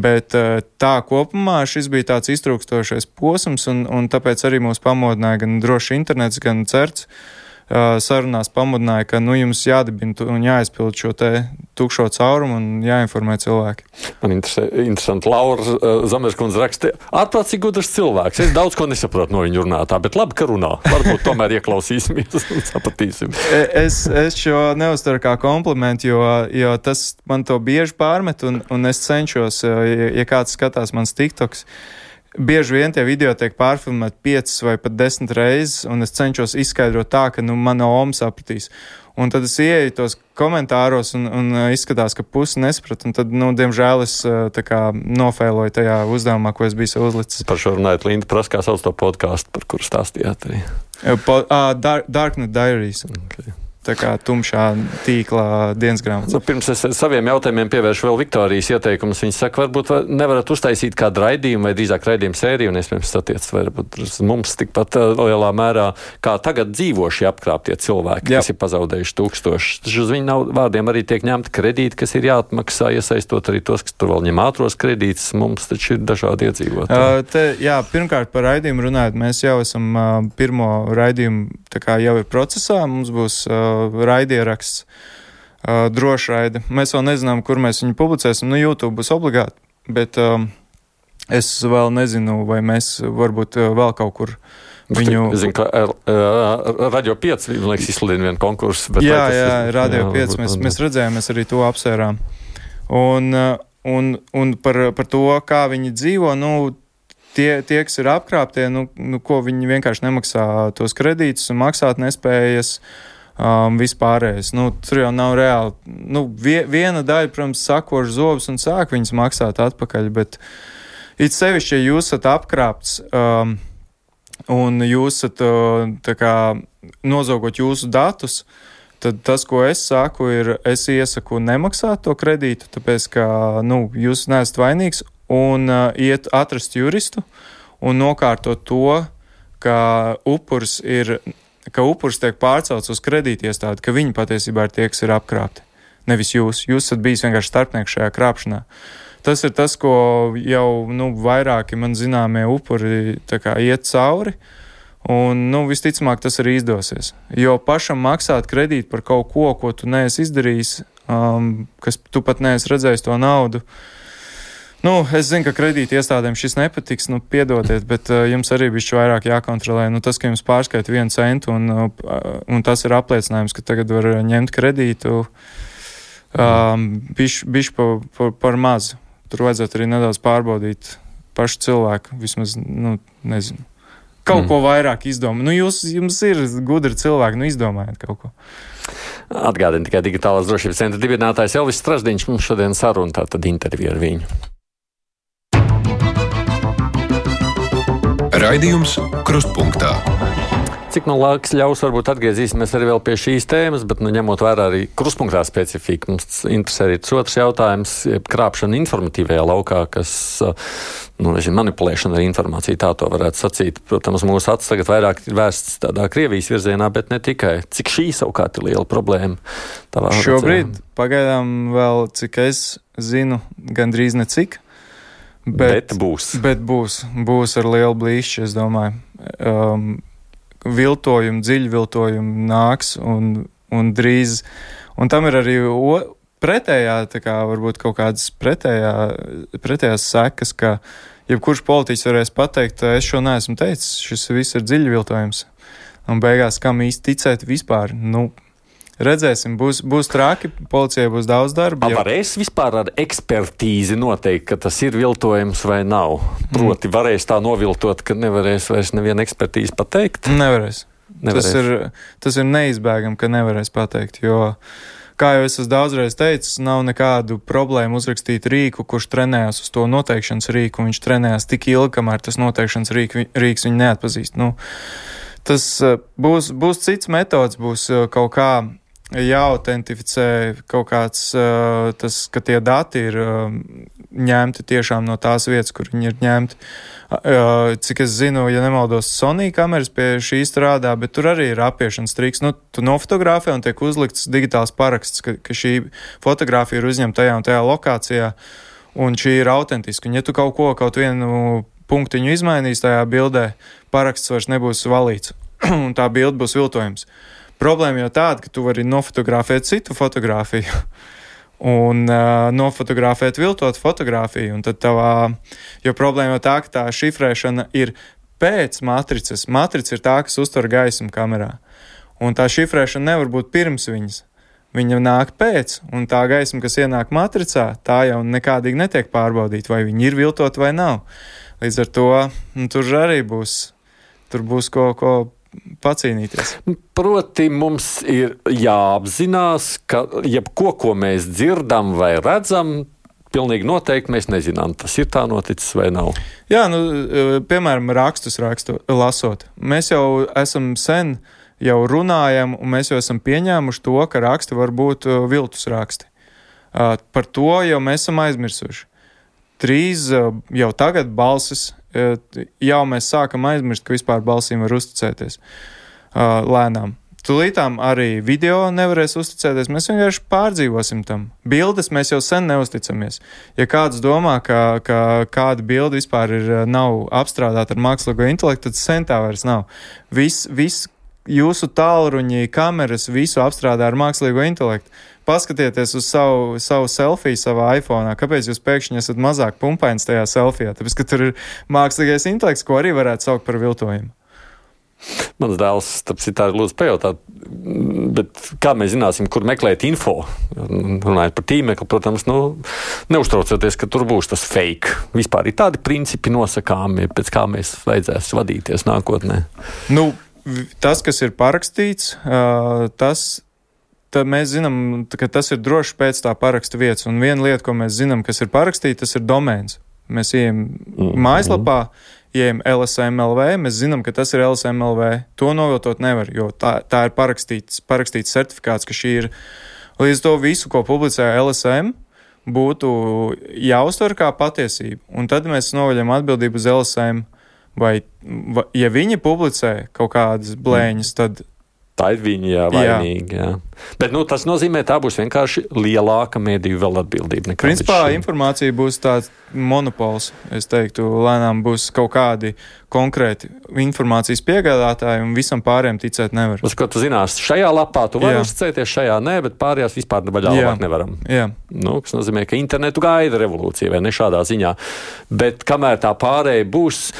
Bet tā kopumā šis bija tāds iztrūkstošais posms, un, un tāpēc arī mūs pamodināja gan droši internets, gan certs. Sarunās pamudināja, ka nu, jums jādibina un jāizpild šo te tukšo caurumu un jāinformē cilvēki. Man interesē, interesanti, Laura Zamerskundze raksta, ārprātīgi gudrs cilvēks. Es daudz ko nesaprotu no viņa runātā, bet labi, ka runā. Varbūt tomēr ieklausīsimies un sapratīsim. Es, es šo neuztaru kā komplimentu, jo, jo tas man to bieži pārmet, un, un es cenšos, ja, ja kāds skatās mans TikToks, bieži vien tie video tiek pārfilmēti piecas vai pat desmit reizes, un es cenšos izskaidrot tā, ka nu, mana oma sapratīs. Un tad es ieeju tos komentāros un, un izskatās, ka pusi nesaprat, un tad, nu, diemžēl es tā kā nofēloju tajā uzdevumā, ko es biju sev uzlicis. Par šo runājot, Linda prasa, kā sauc to podkāstu, par kuru stāstījāt arī. Po, uh, Dark, Darknet Diaries. Okay. Tā kā tumšā tīklā dienas grāmatas. Nu, pirms es saviem jautājumiem pievēršu vēl Viktorijas ieteikumus. Viņa saka, varbūt var, nevarat uztaisīt kādu raidījumu vai drīzāk raidījumu sēriju, un iespējams satiec varbūt mums tikpat lielā mērā, kā tagad dzīvo šie apkrāptie cilvēki, Jā. Kas ir pazaudējuši tūkstošus. Uz viņu nav, vārdiem arī tiek ņemti kredīti, kas ir jāatmaksā, iesaistot arī tos, kas tur vēl ņem ātros kredītus. Mums taču ir dažādi iedzīvotāji. Uh, te, jā, pirmkārt par raidījumu runājot, mēs jau esam uh, pirmo raidījumu, tā kā jau ir procesā, mums būs uh, raidieraksts, uh, droši raidi. Mēs vēl nezinām, kur mēs viņu publicēsim. Nu, YouTube būs obligāti, bet um, es vēl nezinu, vai mēs varbūt uh, vēl kaut kur viņu... Es zinu, ka uh, Radio pieci, liekas, izsludina vienu konkursu. Bet jā, jā, Radio pieci, mēs, mēs redzējām, mēs arī to apsvērām. Un, uh, un, un par, par to, kā viņi dzīvo, nu, tie, tie kas ir apkrāptie, nu, nu, ko viņi vienkārši nemaksā tos kredītus un maksāt nespējas, Um, vispārējais. Nu, tur jau nav reāli. Nu, vie, viena daļa, protams, sakož zobus un sāk viņus maksāt atpakaļ, bet it sevišķi, ja jūs esat apkrāpts um, un jūs esat uh, tā kā nozogot jūsu datus, tad tas, ko es saku, ir, es iesaku nemaksāt to kredītu, tāpēc, ka, nu, jūs neesat vainīgs, un uh, iet atrast juristu un nokārtot to, ka upurs ir, ka upurs tiek pārcelts uz kredītiestādi, ka viņi patiesībā ir tie, kas ir apkrāpti. Nevis jūs. Jūs esat bijis vienkārši starpnieks šajā krāpšanā. Tas ir tas, ko jau, nu, vairāki man zināmie upuri tā kā iet cauri, un, nu, visticamāk tas arī izdosies. Jo pašam maksāt kredītu par kaut ko, ko tu neesi izdarījis, um, kas tu pat neesi redzējis to naudu. Nu, es zinu, ka kredīti iestādēm šis nepatiks, nu, piedodiet, bet uh, jums arī bišķi vairāk jākontrolē. Nu, tas, ka jums pārskaita vienu centu, un, uh, un tas ir apliecinājums, ka tagad var ņemt kredītu, um, bišķi bišķi par pa, pa maz. Tur vajadzētu arī nedaudz pārbaudīt pašu cilvēku, vismaz, nu, nezinu, kaut mm. ko vairāk izdomāt. Nu, jūs, jums ir gudri cilvēki, nu, izdomājiet kaut ko. Atgādini tikai Digitālās drošības centra dibinātājs Elvis Straždiņš, mums šodien saruna, tātad intervija ar viņu. Raidījums Krustpunktā. Cik no laiks ļaus, varbūt atgriezīsimies arī vēl pie šīs tēmas, bet, nu, ņemot vērā arī Krustpunktā specifiku, mums interesē arī tas otrs jautājums, krāpšana informatīvajā laukā, kas, nu, nezinu, manipulēšana ar informāciju, tā to varētu sacīt. Protams, mūsu acis tagad vairāk ir vērsts tādā Krievijas virzienā, bet ne tikai. Cik šī savukārt ir liela problēma? Tavā Šobrīd redzē? Pagaidām vēl, cik es zinu, gandrīz necik. Bet, bet būs. Bet būs. Būs ar lielu blīšķi, es domāju. Um, viltojumi, dziļi viltojumi nāks un, un drīz. Un tam ir arī o, pretējā, tā kā varbūt kaut kādas pretējā, pretējās sekas, ka jebkurš politiķis varēs pateikt, es šo neesmu teicis, šis viss ir dziļi viltojums. Un beigās, kam īsti ticēt vispār? Nu, redzēsim, būs, būs traki, policijai būs daudz darba. A, varēs vispār ar ekspertīzi noteikt, ka tas ir viltojums vai nav? Proti, varēs tā noviltot, ka nevarēs vairs neviena ekspertīze pateikt? Nevarēs. nevarēs. Tas ir, tas ir neizbēgam, ka nevarēs pateikt, jo, kā jau es esmu daudzreiz teicis, nav nekādu problēmu uzrakstīt rīku, kurš trenējās uz to noteikšanas rīku, un viņš trenējās tik ilgi, kamēr tas noteikšanas rīk, rīks viņu neatpazīst. Nu, tas būs, būs cits metods, būs kaut kā jāautentificē kaut kāds, uh, tas, ka tie dati ir uh, ņemti tiešām no tās vietas, kur viņi ir ņemti. Uh, cik es zinu, ja nemaldos, Sony kameras pie šī strādā, bet tur arī ir apiešanas triks. Nu, tu nofotografē un tiek uzlikts digitāls paraksts, ka, ka šī fotografija ir uzņemta tajā un tajā lokācijā, un šī ir autentiska. Un ja tu kaut ko, kaut vienu punktiņu izmainīs tajā bildē, paraksts vairs nebūs valīts, un tā bilde būs viltojums. Problēma jau tāda, ka tu vari nofotografēt citu fotografiju un uh, nofotografēt viltot fotografiju. Un tad tavā, jo problēma jau tā, ka tā šifrēšana ir pēc matricas. Matrica ir tā, kas uztver gaismu kamerā. Un tā šifrēšana nevar būt pirms viņas. Viņa nāk pēc, un tā gaisma, kas ienāk matricā, tā jau nekādīgi netiek pārbaudīta, vai viņi ir viltot vai nav. Līdz ar to nu, tur arī būs, tur būs ko, ko pacīnīties. Proti, mums ir jāapzinās, ka jebko, ko mēs dzirdam vai redzam, pilnīgi noteikti mēs nezinām, tas ir tā noticis vai nav. Jā, nu, piemēram, rakstus rakstu, lasot. Mēs jau esam sen jau runājam, un mēs jau esam pieņēmuši to, ka raksti var būt viltus raksti. Par to jau mēs esam aizmirsuši. Drīz jau tagad balsis, jau mēs sākam aizmirst, ka vispār balsīm var uzticēties lēnām. Tūlītām arī video nevarēs uzticēties, mēs vienkārši pārdzīvosim tam. Bildes mēs jau sen neusticamies. Ja kāds domā, ka, ka kāda bilde vispār ir, nav apstrādāta ar mākslīgo intelektu, tad sen tā vairs nav. Viss, viss jūsu tālruņi, kameras, visu apstrādā ar mākslīgo intelektu. Paskatieties uz savu, savu selfiju savā iPhone'ā. Kāpēc jūs pēkšņi esat mazāk pumpains tajā selfijā? Tāpēc, ka tur ir mākslīgais intelekts, ko arī varētu saukt par viltojumu. Mans dēls, starp citādi, lūdzu pajautāt, bet kā mēs zināsim, kur meklēt info? Runājot par tīmekli, protams, nu, neuztraucoties, ka tur būs tas fake. Vispār ir tādi principi nosakāmi, pēc kā mēs vajadzēs vadīties nākotnē. Nu, tas, kas ir parakstīts, tas... Tad mēs zinām, ka tas ir droši pēc tā paraksta vietas. Un viena lieta, ko mēs zinām, kas ir parakstīta, tas ir domēns. Mēs ejam mm-hmm. mājaslapā, ejam L S M L V, mēs zinām, ka tas ir L S M L V. To noviltot nevar, jo tā, tā ir parakstīts, parakstīts certifikāts, ka šī ir līdz to visu, ko publicē L S M, būtu jāuztver kā patiesība. Un tad mēs novaļam atbildību uz L S M. Vai, vai ja viņi publicē kaut kādas blēņas, tad tā ir viņa jā, vainīga. Jā. Jā. Bet nu, tas nozīmē, tā būs vienkārši lielāka mediju vēl atbildība. Principā informācija būs tāds monopols. Es teiktu, lēnām būs kaut kādi konkrēti informācijas piegādātāji un visam pārējiem ticēt nevar. Uz ko tu zinās, šajā lapā tu vari uzticēties, šajā nē, bet pārējās vispār vaļā labāk nevaram. Jā. Nu, kas nozīmē, ka internetu gaida revolūcija vai ne šādā ziņā. Bet kamēr tā pārēja būs,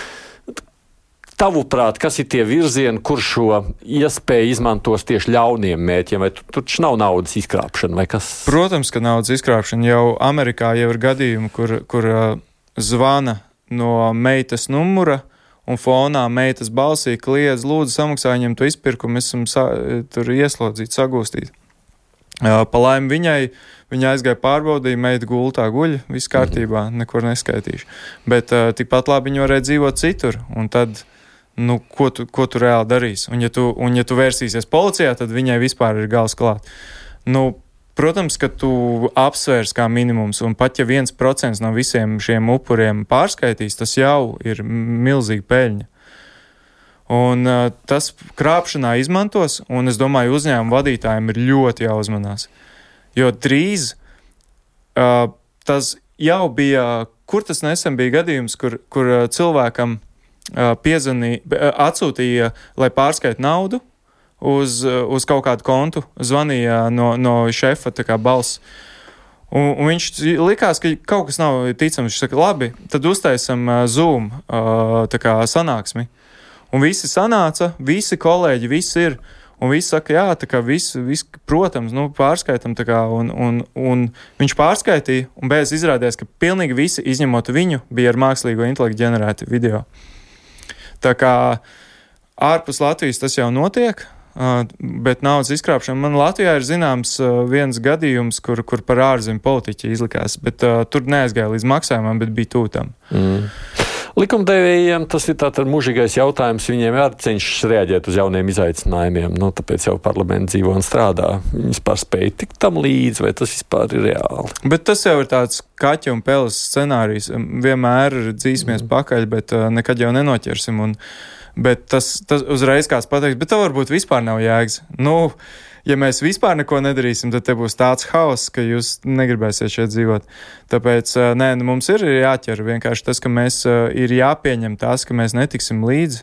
tavuprāt, kas ir tie virzieni, kur šo iespēju izmantos tieši ļauniem mērķiem? Vai tur taču nav naudas izkrāpšana vai kas? Protams, ka naudas izkrāpšana. Jau Amerikā jau ir gadījumi, kur, kur uh, zvana no meitas numura un fonā meitas balsī kliedz, lūdzu samaksā viņam to izpirkumu, mēs esam sa- tur ieslodzīti, sagūstīti. Uh, pa laimi viņai, viņa aizgāja pārbaudīja, meita gultā guļ, viss kārtībā, nekur neskaitīšu. Bet uh, tikpat labi viņa varēja dzīvot citur, un tad nu, ko tu, ko tu reāli darīsi. Un ja tu, un ja tu vērsīsies policijā, tad viņai vispār ir gals klāt. Nu, protams, ka tu apsvērs kā minimums, un pat ja viens procents no visiem šiem upuriem pārskaitīs, tas jau ir milzīga peļņa. Un uh, tas krāpšanā izmantos, un es domāju, uzņēmumu vadītājiem ir ļoti jāuzmanās. Jo drīz uh, tas jau bija, kur tas nesen bija gadījums, kur, kur uh, cilvēkam Piezvanīja, atsūtīja, lai pārskait naudu uz, uz kaut kādu kontu, zvanīja no, no šefa tā kā balss. Un, un viņš likās, ka kaut kas nav ticams. Viņš saka, labi, tad uztaisam Zoom tā kā sanāksmi. Un visi sanāca, visi kolēģi, visi ir. Un visi saka, jā, tā kā visi, visi protams, nu, pārskaitam tā kā. Un, un, un viņš pārskaitīja, un beidz izrādījās, ka pilnīgi visi, izņemot viņu, bija ar mākslīgo intelektu ģenerēti video. Tā kā ārpus Latvijas tas jau notiek, bet naudas izkrāpšana. Man Latvijā ir zināms viens gadījums, kur, kur par ārzemju politiķi izlikās, bet uh, tur neaizgāja līdz maksājumam, bet bija tūtam. Mm. Likumdevējiem tas ir tātad mūžīgais jautājums. Viņiem jācenšas reaģēt uz jauniem izaicinājumiem. Nu, tāpēc jau parlaments dzīvo un strādā. Viņi vispār spēj tikt tam līdzi, vai tas vispār ir reāli? Bet tas jau ir tāds kaķa un peles scenārijs. Vienmēr dzīsimies mm. pakaļ, bet uh, nekad jau nenoķersim. Un, bet tas, tas uzreiz kāds pateiks, bet tev varbūt vispār nav jēgas. Nu, ja mēs vispār neko nedarīsim, tad te būs tāds haoss, ka jūs negribēsiet šeit dzīvot. Tāpēc, nē, nu, mums ir jāķer vienkārši tas, ka mēs ir jāpieņem tās, ka mēs netiksim līdzi,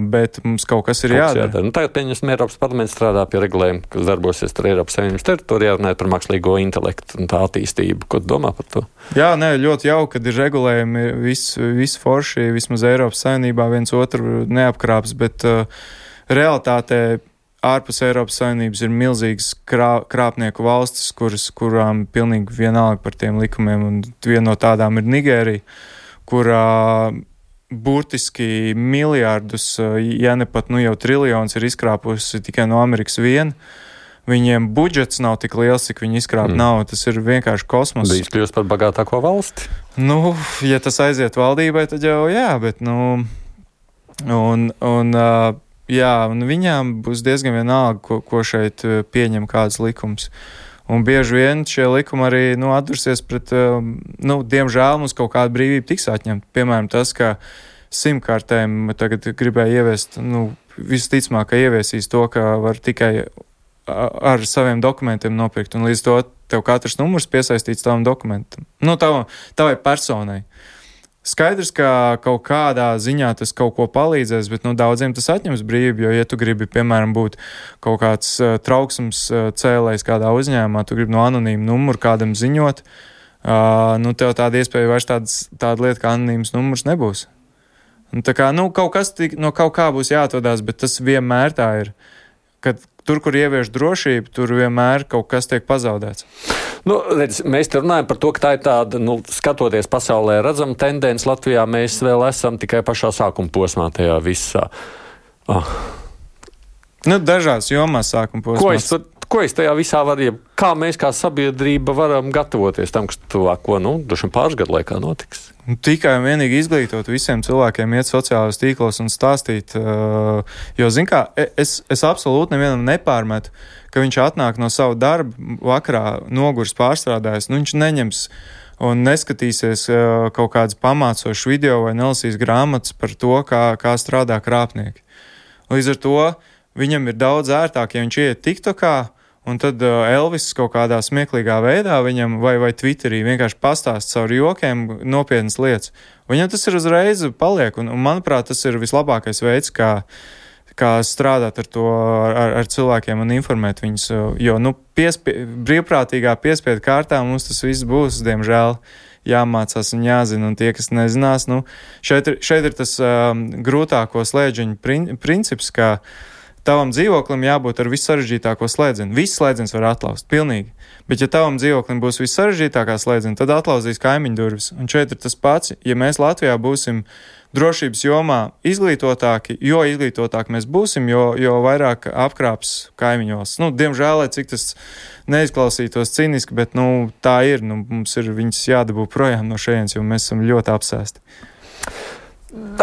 bet mums kaut kas ir jādara. jādara. Nu, tagad, pieņemsim, Eiropas parlaments strādā pie regulējuma, kas darbosies ar Eiropas Savienības teritorijā, runājot par mākslīgo intelektu un tā attīstību. Ko tu domā par to? Jā, nē, ļoti jauki, kad ir regulējumi, viss vis forši, vismaz Eiropas Savienībā viens otru neapkrāps, bet uh, realitātē ārpus Eiropas Savienības ir milzīgas krā, krāpnieku valstis, kuras, kurām pilnīgi vienalga par tiem likumiem, un viena no tādām ir Nigērija, kurā burtiski miljārdus, ja ne pat nu jau triljonus ir izkrāpusi tikai no Amerikas vien. Viņiem budžets nav tik liels, cik viņi izkrāp mm. nav. Tas ir vienkārši kosmos. Bija kļūst par bagātāko valsti? Nu, ja tas aiziet valdībai, tad jau jā, bet nu... Un... un uh, Jā, un viņām būs diezgan vienalga, ko, ko šeit pieņem kāds likums. Un bieži vien šie likumi arī nu, atdursies pret, nu, diemžēl mums kaut kāda brīvība tiks atņemta. Piemēram, tas, ka simkartēm tagad gribēja ieviest, nu, visticamāk, ka ieviesīs to, ka var tikai ar saviem dokumentiem nopirkt, un līdz to tev katrs numurs piesaistīts tavam dokumentam. Nu, tavam, tavai personai. Skaidrs, ka kaut kādā ziņā tas kaut ko palīdzēs, bet nu, daudziem tas atņems brīvību, jo, ja tu gribi, piemēram, būt kaut kāds uh, trauksmes uh, cēlējs kādā uzņēmumā, tu gribi no anonīma numuru kādam ziņot, uh, nu, tev tāda iespēja vairs tāds, tāda lieta kā anonīms numurs nebūs. Un, tā kā, nu, kaut kas tik, no kaut kā būs jāatvadās, bet tas vienmēr tā ir. Kad tur, kur ievieš drošību, tur vienmēr kaut kas tiek pazaudēts. Nu, redz, mēs te runājam par to, ka tā ir tāda, nu, skatoties pasaulē, redzama tendence. Latvijā mēs vēl esam tikai pašā sākuma posmā tajā visā. Oh. Nu, dažās jomās sākuma posmā. Ko es, ko es tajā visā varu, kā mēs kā sabiedrība varam gatavoties tam, kas tuvāko, nu, droši vien pāris gadu laikā notiks? Tikai un vienīgi izglītot visiem cilvēkiem iet sociālajos tīklos un stāstīt, uh, jo, zin kā, es, es absolūti nevienam nepārmetu, ka viņš atnāk no savu darbu vakarā nogurs pārstrādājis, nu viņš neņems un neskatīsies uh, kaut kādas pamācošas video vai nelasīs grāmatas par to, kā, kā strādā krāpnieki. Līdz ar to viņam ir daudz ērtāk, ja viņš iet TikTokā, un tad uh, Elvis kaut kādā smieklīgā veidā viņam vai, vai Twitterī vienkārši pastāst caur jokiem nopietnas lietas. Viņam tas ir uzreiz paliek, un, un manuprāt, tas ir vislabākais veids, kā, kā strādāt ar to, ar, ar cilvēkiem un informēt viņus, jo, nu, piespie, brīvprātīgā piespiedu kārtā mums tas viss būs, diemžēl, jāmācās un jāzina, un tie, kas nezinās, nu, šeit ir, šeit ir tas um, grūtāko slēdžiņu prin, princips, kā tavam dzīvoklim jābūt ar vissarežģītāko slēdzenu. Viss slēdzens var atlaust, pilnīgi. Bet ja tavam dzīvoklim būs vissarežģītākā slēdzena, tad atlauzīs kaimiņu durvis. Un šeit ir tas pats, ja mēs Latvijā būsim drošības jomā izglītotāki, jo izglītotāki mēs būsim, jo, jo vairāk apkrāps kaimiņu valsts. Nu, diemžēl, cik tas neizklausītos ciniski, bet, nu, tā ir. Nu, mums ir viņas jādabū projām no šejienes, jo mēs esam ļoti apsēsti.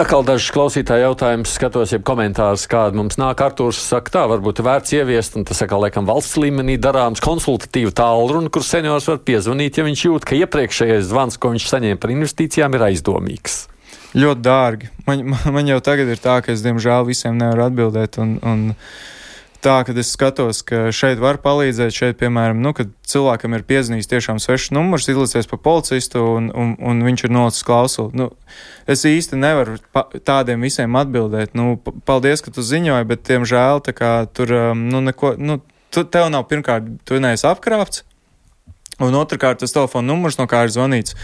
Atkal dažs klausītāji jautājums, skatos, ja komentārus, kāda mums nāk. Artūrs saka, tā varbūt vērts ieviest, un tas atkal, laikam, valsts līmenī darāms konsultatīvu tālruni, kur seniors var piezvanīt, ja viņš jūt, ka iepriekšējais zvans, ko viņš saņēma par investīcijām, ir aizdomīgs. Ļoti dārgi. Man, man jau tagad ir tā, ka es, diemžēl, visiem nevaru atbildēt, un, un tā, kad es skatos, ka šeit var palīdzēt, šeit, piemēram, nu, kad cilvēkam ir piezvanījis tiešām svešs numurs, izlicies pa policistu un, un, un viņš ir nolicis klausuli. Nu, es īsti nevaru pa, tādiem visiem atbildēt. Nu, paldies, ka tu ziņoji, bet, diemžēl, tā kā tur, nu, neko, nu, tu, tev nav pirmkārt, tu neesi apkrāpts, un otrkārt tas telefona numurs, no kā ir zvanīts,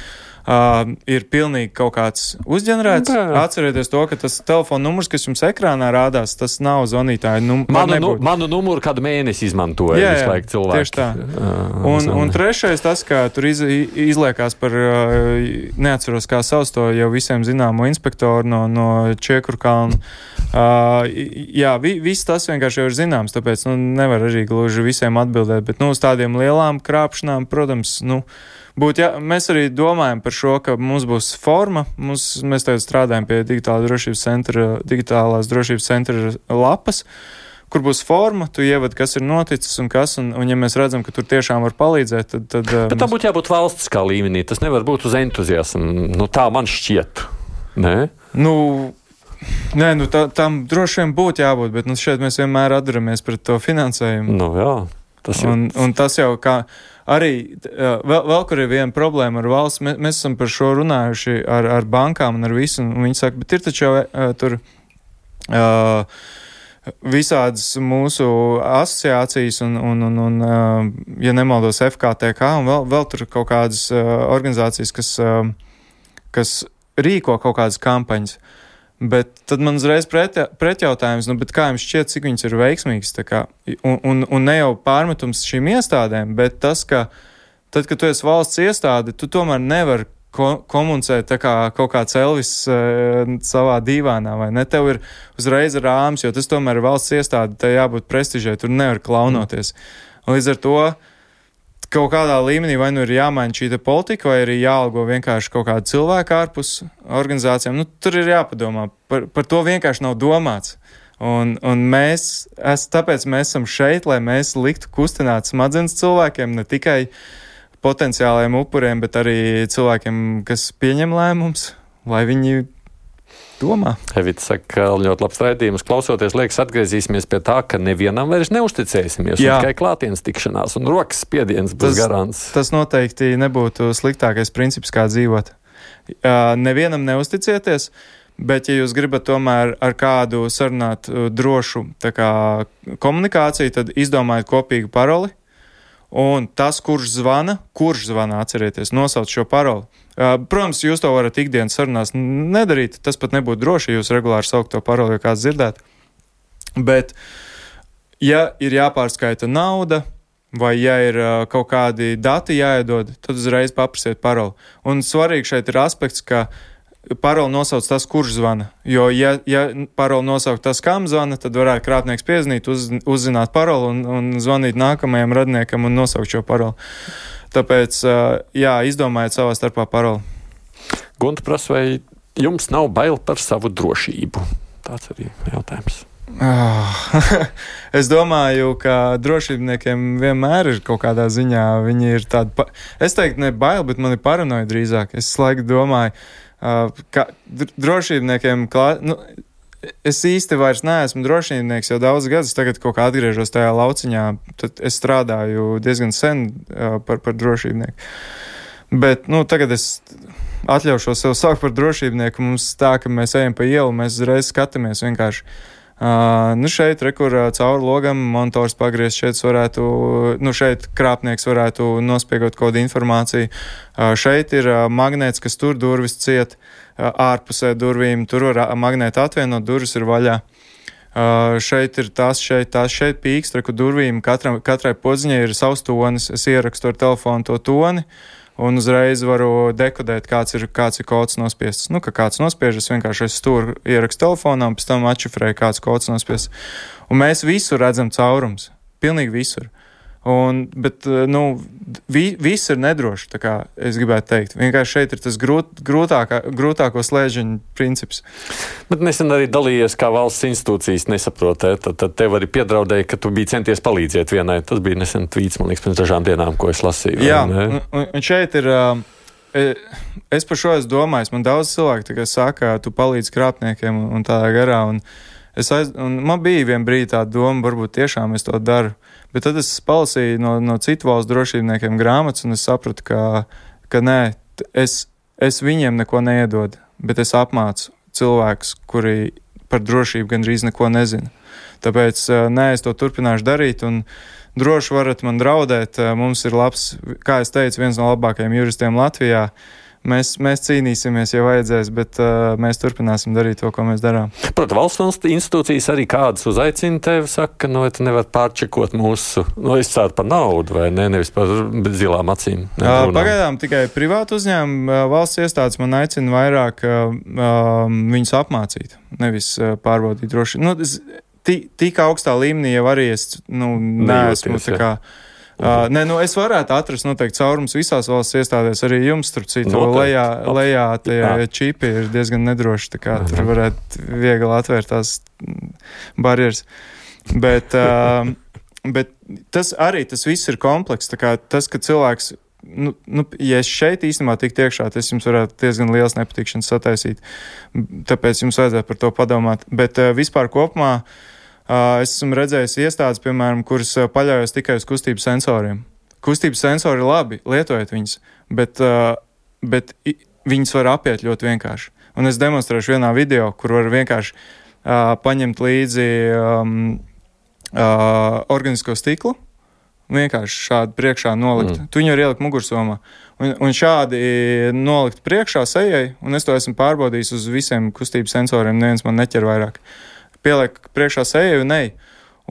Uh, ir pilnīgi kaut kāds uzģenerēts. Jā. Atcerieties to, ka tas telefona numurs, kas jums ekrānā rādās, tas nav zvanītāja numurs. Manu, nu, manu numuru kādu mēnesi izmantoja jā, visu laiku cilvēki. Tieši tā. Uh, un, un trešais tas, ka tur iz, izliekās par, uh, neatceros kā sauc to jau visiem zināmo inspektoru no, no Čiekurkalna. Uh, jā, vi, viss tas vienkārši jau ir zināms, tāpēc, nu, nevar arī gluži visiem atbildēt, bet, nu, uz tādiem lielām krāpšanām, protams, nu, Būt, jā, mēs arī domājam par šo, ka mums būs forma. Mums, mēs tagad strādājam pie digitālās drošības centra, digitālās drošības centra lapas, kur būs forma, tu ievad, kas ir noticis un kas, un, un ja mēs redzam, ka tur tiešām var palīdzēt, tad... tad Bet tā būtu jābūt valstiskā līmenī, tas nevar būt uz entuziasmu. Nu, tā man šķiet. Nē? Nu... Nē, nu tā, tam droši vien būtu jābūt, bet nu, šeit mēs vienmēr atduramies pret to finansējumu. Nu jā, tas jau... Un, un tas jau kā... Arī vēl, vēl kur ir viena problēma ar valsts, mēs, mēs esam par šo runājuši ar, ar bankām un ar visu, un viņi saka, bet ir taču jau uh, tur uh, visādas mūsu asociācijas un, un, un, un uh, ja nemaldos, F K T K un vēl, vēl tur kaut kādas uh, organizācijas, kas, uh, kas rīko kaut kādas kampaņas. Bet tad man uzreiz pret, pretjautājums, nu, bet kā jums šķiet, cik viņas ir veiksmīgas, tā kā, un, un, un ne jau pārmetums šīm iestādēm, bet tas, ka tad, kad tu esi valsts iestāde, tu tomēr nevar ko, komunicēt tā kā kaut kāds Elvis uh, savā dīvānā, vai ne? Tev ir uzreiz rāms, jo tas tomēr ir valsts iestāde, te jābūt prestižai, tur nevar klaunoties. Un līdz ar to kaut kādā līmenī vai nu ir jāmaina šī politika, vai arī jāalgo vienkārši kaut kādu cilvēku ārpus organizācijām. Nu, tur ir jāpadomā. Par, par to vienkārši nav domāts. Un, un mēs, es, tāpēc mēs esam šeit, lai mēs liktu kustināt smadzenes cilvēkiem, ne tikai potenciālajiem upuriem, bet arī cilvēkiem, kas pieņem lēmumus, lai viņi domā. Evita saka, ļoti labs raidījums. Klausoties, liekas, atgriezīsimies pie tā, ka nevienam vairs neusticēsimies. Tikai klātienes tikšanās un rokas spiediens būs garants. Tas noteikti nebūtu sliktākais princips, kā dzīvot. Uh, nevienam neusticieties, bet ja jūs gribat tomēr ar kādu sarunāt uh, drošu tā kā komunikāciju, tad izdomājiet kopīgu paroli. Un tas, kurš zvana, kurš zvana, atcerieties, nosauc šo paroli. Uh, protams, jūs to varat ikdienas sarunās nedarīt, tas pat nebūtu droši, ja jūs regulāri saukt to paroli, jo kāds dzirdētu. Bet, ja ir jāpārskaita nauda, vai ja ir uh, kaut kādi dati jāiedod, tad uzreiz paprasiet paroli. Un svarīgi šeit ir aspekts, ka paroli nosauc tas, kurš zvana. Jo, ja, ja paroli nosauc tas, kam zvana, tad varētu krāpnieks piezinīt, uz, uzzināt paroli un, un zvanīt nākamajam radniekam un nosaukt šo paroli. Tāpēc, jā, izdomājiet savā starpā paroli. Gunta prasa, vai jums nav bail par savu drošību? Tāds arī jautājums. Oh, es domāju, ka drošībniekiem vienmēr ir kaut kādā ziņā, viņi ir tādi, pa... es teiktu, ne bail, bet man ir paranoja drīzāk. Es laiku domāju, uh, ka drošībniekiem, klā... nu, es īsti vairs neesmu drošībnieks jau daudz gadus, tagad kaut kā atgriežos tajā lauciņā, tad es strādāju diezgan sen uh, par, par drošībnieku. Bet, nu, tagad es atļaušos sev saukt par drošībnieku, mums tā, ka mēs ejam pa ielu, mēs uzreiz skatāmies vienkārši. Uh, nu šeit, re, kur uh, cauri logam monitors pagriezt, šeit varētu, nu šeit krāpnieks varētu nospiegot kaut kādu informāciju. Uh, šeit ir uh, magnēts, kas tur durvis ciet, uh, ārpusē durvīm, tur var uh, magnēti atvienot, durvis ir vaļā. Uh, šeit ir tas, šeit tas, šeit pīkst, re, kur durvīm katram, katrai podziņai ir savs tonis, es ierakstu ar telefonu to toni, un uzreiz varu dekodēt, kāds ir, kāds ir kods nospiests. Nu, ka kāds nospiežas, vienkārši es stūru ierakstu telefonā, un pēc tam atšifrēju, kāds kods nospiests. Un mēs visur redzam caurums. Pilnīgi visur. Un, bet, nu, vi, viss ir nedroši, tā kā es gribētu teikt. Vienkārši šeit ir tas grūt, grūtākā, grūtāko slēdžiņu princips. Bet nesen arī dalījies, kā valsts institūcijas nesaprotē. Tad, tad tev arī piedraudēja, ka tu biji centies palīdzēt vienai. Tas bija nesen tvīts, man liekas, pirms dažām dienām, ko es lasīju. Jā, un, un šeit ir... Es par šo esmu domājis. Man daudz cilvēku tā kā saka, tu palīdz krāpniekiem un tādā garā. Un es aiz, un man bija vien brīdi tā doma, varbūt tiešām es to daru. Bet tad es palasīju no, no citu valstu drošībniekiem grāmatas, un es sapratu, ka, ka nē, es, es viņiem neko neiedodu, bet es apmācu cilvēkus, kuri par drošību gandrīz neko nezina. Tāpēc nē, es to turpināšu darīt, un droši varat man draudēt. Mums ir labs, kā es teicu, viens no labākajiem juristiem Latvijā. Mēs, mēs cīnīsimies, ja vajadzēs, bet uh, mēs turpināsim darīt to, ko mēs darām. Protams, valsts institūcijas arī kādas uzaicina tevi, saka, nu, vai tu nevar pārčekot mūsu, nu, izcēt par naudu, vai ne, nevis par zilām acīm. Uh, pagaidām tikai privātu uzņēmumu uh, valsts iestādes man aicina vairāk uh, uh, viņus apmācīt, nevis uh, pārbaudīt droši. Nu, tik augstā līmenī jau arī es, nu, neesmu tā kā... Uh, nē, nu es varētu atrast noteikti caurums visās valsts iestādēs, arī jums, tur citu, lejā, lejā tie čipi ir diezgan nedroši, tā kā tur varētu viegli atvērt tās barjeras. Bet, uh, bet tas arī, tas viss ir kompleks, tā kā tas, ka cilvēks, nu, nu ja es šeit īstenībā tiktu iekšā, tas jums varētu diezgan liels nepatikšanas sataisīt, tāpēc jums vajadzētu par to padomāt. Bet uh, vispār kopumā Uh, es esmu redzējis iestādes, piemēram, kuras uh, paļaujas tikai uz kustību sensoriem. Kustības sensori ir labi, lietojiet viņus, bet, uh, bet i, viņus var apiet ļoti vienkārši. Un es demonstrēšu vienā video, kur var vienkārši uh, paņemt līdzi um, uh, organisko stiklu, vienkārši šādi priekšā nolikt. Mm. Tu viņu var ielikt mugursomā. Un, un šādi nolikt priekšā sejai, un es to esmu pārbaudījis uz visiem kustības sensoriem, neviens man neķer vairāk. Pieliek priekšā seju un ej.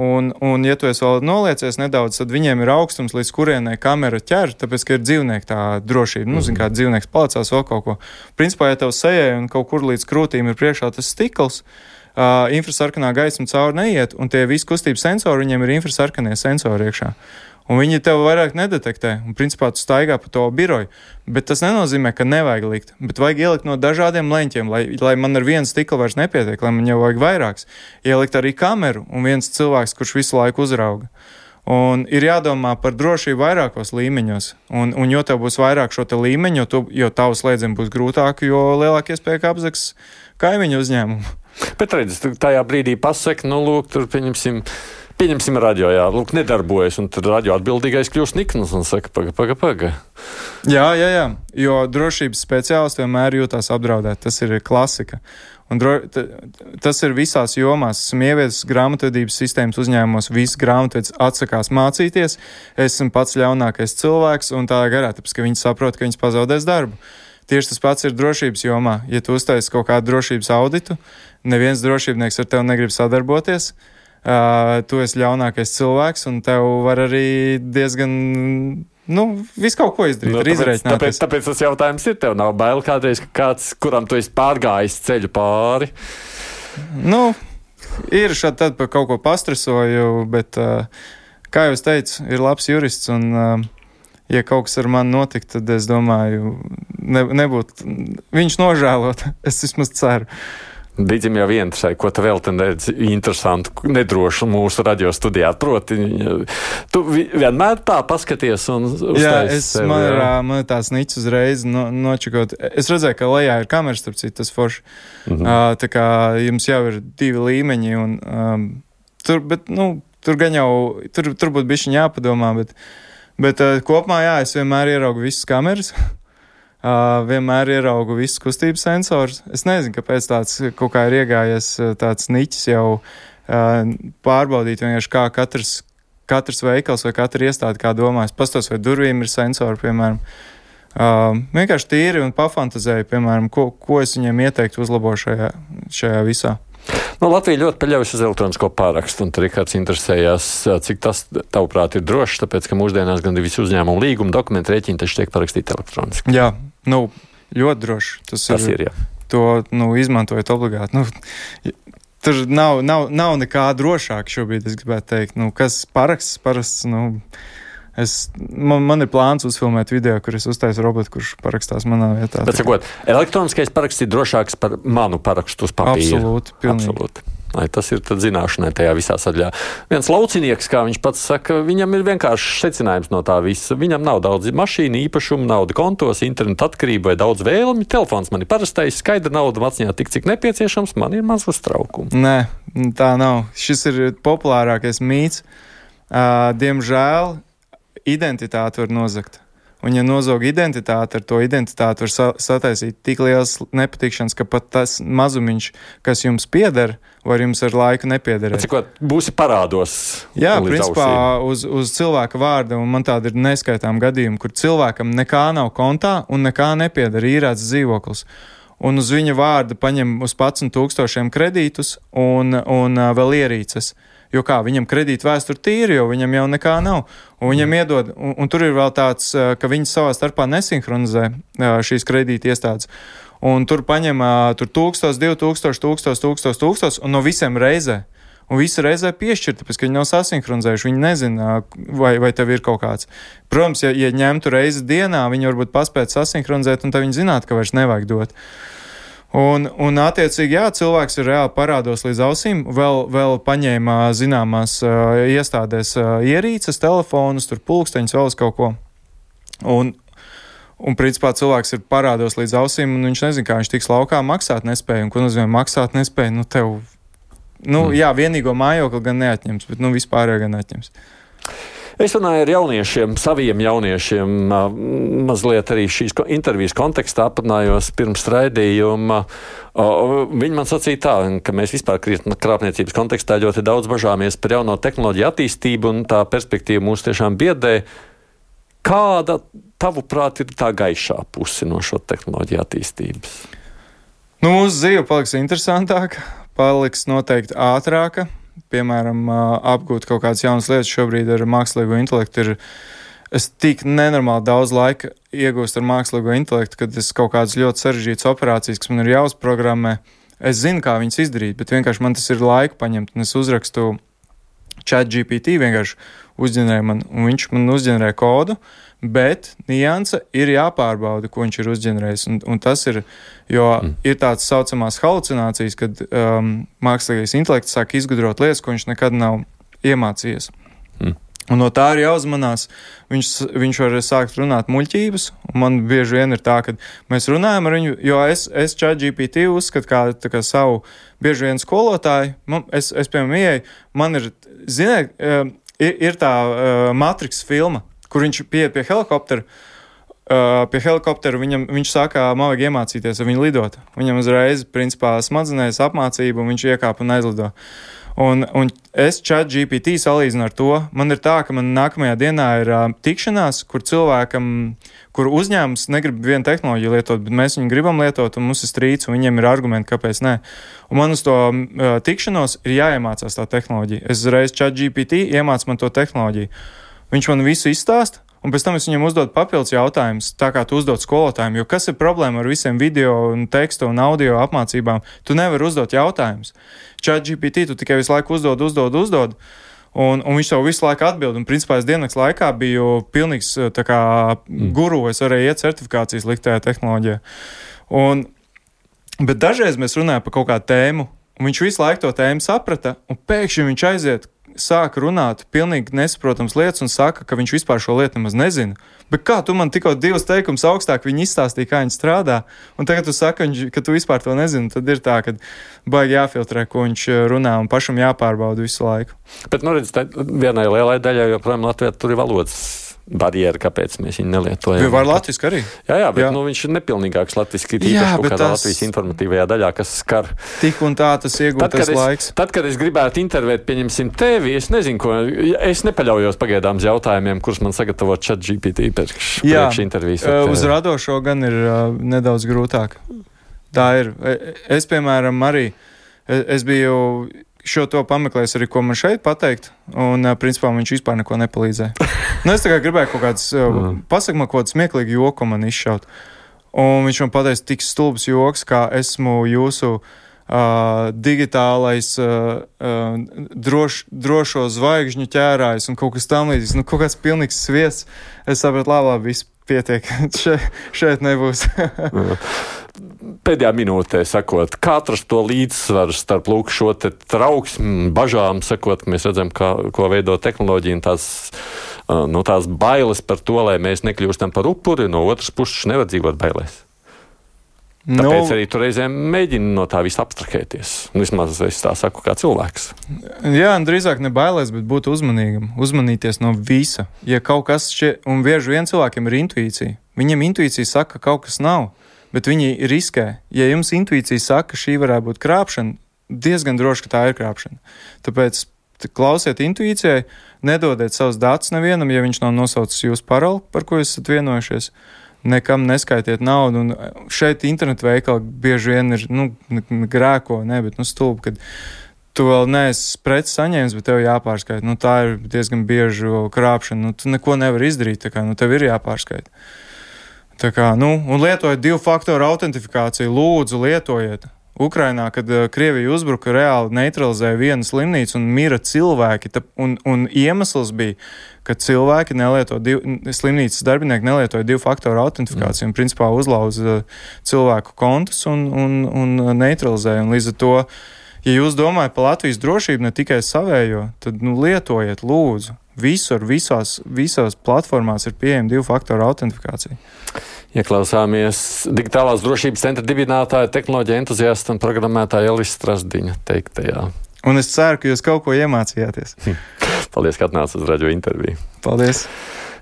Un, un ja tu esi vēl noliecies nedaudz, tad viņiem ir augstums, līdz kurienai kamera ķer, tāpēc, ka ir dzīvnieki tā drošība. Nu, zin, kā dzīvnieks palicās vēl kaut ko. Principā, ja tev sejai un kaut kur līdz krūtīm ir priekšā tas stikls, uh, infrasarkanā gaisma cauri neiet, un tie visi kustības sensori, viņiem ir infrasarkanie sensori iekšā. Un viņi tev vairāk nedetektē, un principā tu staigā pa to biroju. Bet tas nenozīmē, ka nevajag likt, bet vajag ielikt no dažādiem leņķiem, lai, lai man ar vienu stiklu vairs nepietiek, lai man jau vajag vairāks. Ielikt arī kameru un viens cilvēks, kurš visu laiku uzrauga. Un ir jādomā par drošību vairākos līmeņos, un, un jo tev būs vairāk šo te līmeņu, jo, tu, jo tavu slēdzienu būs grūtāk, jo lielāk iespēja, ka apzags kaimiņu uzņēmumu. Bet redz, tajā brīdī pasaka, nu lūk, tur pieņemsim, Pieņemsim radio, jā, lūk, nedarbojas, un tad radio atbildīgais kļūst nikns un saka, paga, paga, paga. Jā, jā, jā, jo drošības speciālisti vienmēr jūtās apdraudēt, tas ir klasika. Un dro, t, tas ir visās jomās. Esmu ieviesis grāmatvedības sistēmas uzņēmumos, visi grāmatvedis atsakās mācīties, esmu pats ļaunākais cilvēks, un tā garā, tāpēc, ka viņi saprot, ka viņas pazaudēs darbu. Tieši tas pats ir drošības jomā. Ja tu uztaisi kaut kādu drošības auditu, neviens drošībnieks ar tevi negrib sadarboties, Uh, tu esi ļaunākais cilvēks, un tev var arī diezgan nu, visu kaut ko izdarīt, nu, ir izreikināties. Tāpēc, tāpēc tas jautājums ir, tev nav bail kādreiz, ka kāds, kuram tu esi pārgājis ceļu pāri? Nu, ir šādi tad par kaut ko pastresoju, bet, kā jau es teicu, ir labs jurists un, ja kaut kas ar mani notiktu, tad es domāju, ne, nebūtu, viņš nožēlot, es vismaz ceru. Dīdzim jau vientršai, ko tu vēl te redzi interesantu, nedrošu mūsu radio studijā. Proti, tu vienmēr tā paskaties un uztais jā, es, sev, man, jā. man ir tās niķis uzreiz no, nočakot. Es redzēju, ka lejā ir kameras, starp citu, tas forši. Mm-hmm. Uh, tā kā jums jau ir divi līmeņi un um, tur, bet, nu, tur gan jau, tur, tur būtu bišķiņ jāpadomā, bet, bet uh, kopumā, jā, es vienmēr ieraugu visas kameras. Uh, vienmēr ieraugu visus kustības sensors. Es nezinu, kāpēc tāds kaut kā ir iegājies tāds niķis jau uh, pārbaudīt vienkārši kā katrs, katrs veikals vai katra iestāde kā domājas. Pastos, vai durvīm ir sensori, piemēram. Uh, vienkārši tīri un pafantazēju, piemēram, ko, ko es viņiem ieteiktu uzlabo šajā, šajā visā. Nu, Latvija ļoti paļaujas uz elektronisko pārakstu, un tur Rikards interesējās, cik tas, tavuprāt, ir drošs, tāpēc, ka mūsdienās gan visi uzņēmumu līguma dokumenti rēķini taču tiek parakstīti elektroniski. Jā, nu, ļoti droši. Tas, tas ir, ir, jā. To, nu, izmantojot obligāti. Nu, tur nav, nav, nav nekā drošāk šobrīd, es gribētu teikt. Nu, kas paraksts, parasts, nu... Es, man, man ir plāns uzfilmēt video, kur es uztaisu robotu, kurš parakstās manā vietā. Bet, sakot, elektroniskais paraksts ir drošāks par manu parakstu uz papīra. Absolūti, pilnīgi. Absolūti. Lai tas ir tad zināšanai tajā visā sadaļā. Viens laucinieks, kā viņš pats saka, viņam ir vienkārši secinājums no tā visa. Viņam nav daudz mašīnu, īpašumu, nauda kontos, internetu atkarību vai daudz vēlmi. Telefons man ir parastais, skaidra nauda maciņā tik, cik nepieciešams, man ir maz uztraukumu. Nē, tā nav. Šis ir populārākais mīts. Uh, diemžēl identitāti var nozagt. Un, ja nozog identitāti, ar to identitāti var sa- sataisīt tik liels nepatikšanas, ka pat tas mazumiņš, kas jums pieder, var jums ar laiku nepiederēt. Cikot, būsi parādos. Jā, principā uz, uz cilvēka vārda, un man tāda ir neskaitām gadījumi, kur cilvēkam nekā nav kontā un nekā nepieder, īrēts dzīvoklis. Un uz viņa vārda paņem uz padsmit tūkstošiem kredītus un, un uh, vēl ierīces. Jo kā, viņam kredīta vēsture tīri, jo viņam jau nekā nav. Un viņam iedod, un, un tur ir vēl tāds, ka viņi savā starpā nesinhronizē šīs kredīta iestādes. Un tur paņem tur tūkstos, divi tūkstoši, tūkstos, tūkstos, tūkstos, un no visiem reizē. Un visi reizē piešķir, tāpēc, ka viņi nav sasinhronizējuši, viņi nezina, vai, vai tev ir kaut kāds. Protams, ja, ja ņemtu reizi dienā, viņi varbūt paspētu sasinhronizēt, un tad viņi zinātu, ka vairs nevajag dot. Un, un attiecīgi, jā, cilvēks ir reāli parādos līdz ausīm, vēl, vēl paņēma zināmās uh, iestādēs uh, ierīces, telefonus, tur pulksteņus, vēl uz kaut ko. Un, un principā cilvēks ir parādos līdz ausīm, un viņš nezina, kā viņš tiks laukā, maksāt nespēja. Un ko nozīmē maksāt nespēja? Nu, tev, nu, mm. jā, vienīgo mājokli gan neatņems, bet, nu, vispārējo gan atņems. Es runāju ar jauniešiem, saviem jauniešiem, mazliet arī šīs intervijas kontekstā aprunājos pirms raidījuma. Viņi man sacīja tā, ka mēs vispār krāpniecības kontekstā ļoti daudz bažāmies par jauno tehnoloģiju attīstību, un tā perspektīva mūs tiešām biedē. Kāda, tavuprāt, ir tā gaišā puse no šo tehnoloģiju attīstības? Nu, mūsu dzīve paliks interesantāka, paliks noteikti ātrāka. Piemēram, apgūt kaut kādas jaunas lietas šobrīd ar mākslīgo intelektu ir, es tik nenormāli daudz laika iegūstu ar mākslīgo intelektu, kad es kaut kādas ļoti sarežģītas operācijas, kas man ir jāuzprogrammē, es zinu, kā viņas izdarīt, bet vienkārši man tas ir laika paņemt, un es uzrakstu ChatGPT, vienkārši uzģenerēju man, un viņš man uzģenerē kodu, bet nianse ir jāpārbauda, ko viņš ir uzģenerējis. Un, un tas ir, jo mm. ir tāds saucamās halucinācijas, kad um, mākslīgais intelekts sāk izgudrot lietas, ko viņš nekad nav iemācījies. Mm. Un no tā ir jāuzmanās. Viņš, viņš var sākt runāt muļķības, un man bieži vien ir tā, ka mēs runājam ar viņu, jo es, es ChatGPT uzskatu kā, tā kā savu bieži vien skolotāju. Man, es, es, piemēram, ieeju, man ir, ziniet, uh, ir, ir tā uh, Matrix filma, kur viņš pieiet pie helikoptera, uh, pie helikoptera viņam, viņš saka, man vajag iemācīties ar viņu lidot. Viņam uzreiz, principā, smadzenēs apmācību, un viņš iekāp un aizlido. Un, un es ChatGPT salīdzinu ar to, man ir tā, ka man nākamajā dienā ir uh, tikšanās, kur cilvēkam, kur uzņēmums negrib vienu tehnoloģiju lietot, bet mēs viņu gribam lietot, un mums ir strīds, un viņiem ir argumenti, kāpēc nē. Un man uz to uh, tikšanos ir jāiemācās tā tehnoloģija. Es uzreiz ChatGPT iemācu man to tehnoloģiju. Viņš man visu izstāsta, un pēc tam es viņam uzdodu papildus jautājumus, tā kā tu uzdod skolotājiem, jo kas ir problēma ar visiem video un tekstu un audio apmācībām? Tu nevari uzdot jautājumus. ChatGPT tu tikai visu laiku uzdod, uzdod, uzdod, un, un viņš tev visu laiku atbild, un principā es diennakts laikā biju pilnīgs tā kā guru, es varēju iet certifikācijas likt tajā tehnoloģijā. Un, bet dažreiz mēs runājam par kaut kādu tēmu, un viņš visu laiku to tēmu saprata, un pēkšņi viņš aiziet, sāk runāt pilnīgi nesaprotams lietas un saka, ka viņš vispār šo lietu nemaz nezina. Bet kā tu man tikko divas teikums augstāk viņi izstāstīja, kā viņi strādā, un tagad tu saki, ka tu vispār to nezini, tad ir tā, ka baigi jāfiltrē, ko viņš runā, un pašam jāpārbauda visu laiku. Bet, nu redz, vienai lielai daļai joprojām Latvijā tur ir valodas barjera, kāpēc mēs viņu nelietojam. Var latviski arī. Jā, jā, bet jā. Nu, viņš ir nepilnīgāks latviski, tīpaši kaut kādā tas... Latvijas informatīvajā daļā, kas skar. Tik un tā tas iegūtais laiks. Tad, kad es gribētu intervēt, pieņemsim tevi, es nezinu, ko, es nepaļaujos pagaidām uz jautājumiem, kurus man sagatavo ChatGPT priekš, priekš intervijas. Jā, uz radošo gan ir uh, nedaudz grūtāk. Tā ir. Es, piemēram, arī, es biju šo to pameklējis arī, ko man šeit pateikt, un principā viņš vispār neko nepalīdzēja. Nu, es tā kā gribēju kaut kāds, pasaka man kaut kāds smieklīgi joku man izšaut. Un viņš man pateica tik stulbs joks, kā esmu jūsu uh, digitālais uh, uh, droš, drošo zvaigžņu ķērājs un kaut kas tam līdzīgs. Nu, kaut kāds pilnīgs sviests. Es sapratu, labi, labi, viss pietiek. Še, šeit nebūs. Pēdējā minūtē sakot, kā atrast to līdzsvaru starp lūk šo te trauksmi, bažām, sakot, ka mēs redzam, kā, ko veido tehnoloģija un tās, no tās bailes par to, lai mēs nekļūstam par upuri, no otras puses nevar dzīvot bailēs. Tāpēc no, arī tu reizēm mēģini no tā visa abstrahēties. Vismaz es tā saku kā cilvēks. Jā, un drīzāk ne bailēs, bet būt uzmanīgam. Uzmanīties no visa. Ja kaut kas šķiet, un bieži vien cilvēkiem ir intuīcija. Viņam intuīcija saka, ka kaut kas nav. Bet viņi riskē. Ja jums intuīcija saka, ka šī varētu būt krāpšana, diezgan droši, ka tā ir krāpšana. Tāpēc klausiet intuīcijai, nedodiet savus datus nevienam, ja viņš nav nosaucis jūsu paroli, par ko jūs esat vienojušies. Nekam neskaitiet naudu. Un šeit internetu veikali bieži vien ir, nu, grēko, ne, bet, nu, stulbi, kad tu vēl neesi preci saņēmis, bet tev jāpārskaita. Nu, tā ir diezgan biežu krāpšana. Nu, tu neko nevar izdarīt, tā kā, nu, tev ir jāpārskaita. Tā kā, nu, un lietojiet divu faktoru autentifikāciju, lūdzu, lietojiet. Ukrainā, kad uh, Krievija uzbruka, reāli neutralizēja vienu slimnīcu un mira cilvēki, ta, un, un iemesls bija, ka cilvēki nelieto, div, slimnīcas darbinieki nelietoja divu faktoru autentifikāciju, mm. un principā uzlauza uh, cilvēku kontus un, un, un neutralizēja, un līdz ar to, ja jūs domājat par Latvijas drošību, ne tikai savējo, tad, nu, lietojiet, lūdzu. Visur, visās, visās platformās ir pieejama divu faktoru autentifikācija. Ieklausāmies digitālās drošības centra dibinātāja, tehnoloģija entuziasta un programmētāja Elvis Strasdiņa teiktajā. Un es ceru, ka jūs kaut ko iemācījāties. Paldies, ka atnācāt uz radio interviju. Paldies.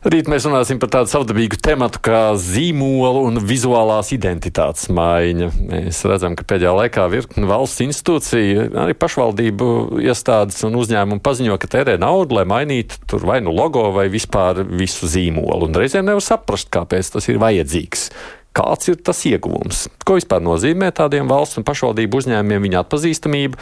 Rīt mēs runāsim par tādu savdabīgu tematu kā zīmolu un vizuālās identitātes maiņa. Mēs redzam, ka pēdējā laikā virkni valsts institūcija, arī pašvaldību iestādes un uzņēmumi paziņo, ka tērē naudu, lai mainītu tur vai nu logo vai vispār visu zīmolu. Un reizēm nevar saprast, kāpēc tas ir vajadzīgs. Kāds ir tas ieguvums? Ko vispār nozīmē tādiem valsts un pašvaldību uzņēmumiem viņa atpazīstamība?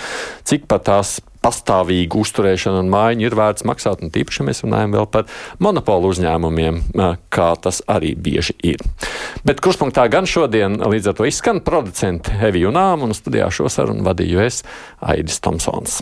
Cik par tās pastāvīgu uzturēšanu un maiņu ir vērts maksāt? Un tīpaši mēs runājam vēl par monopolu uzņēmumiem, kā tas arī bieži ir. Bet kurspunktā gan šodien līdz ar to izskan producenti Evi Junām un studijā šo sarunu vadīju es, Aidis Tomsons.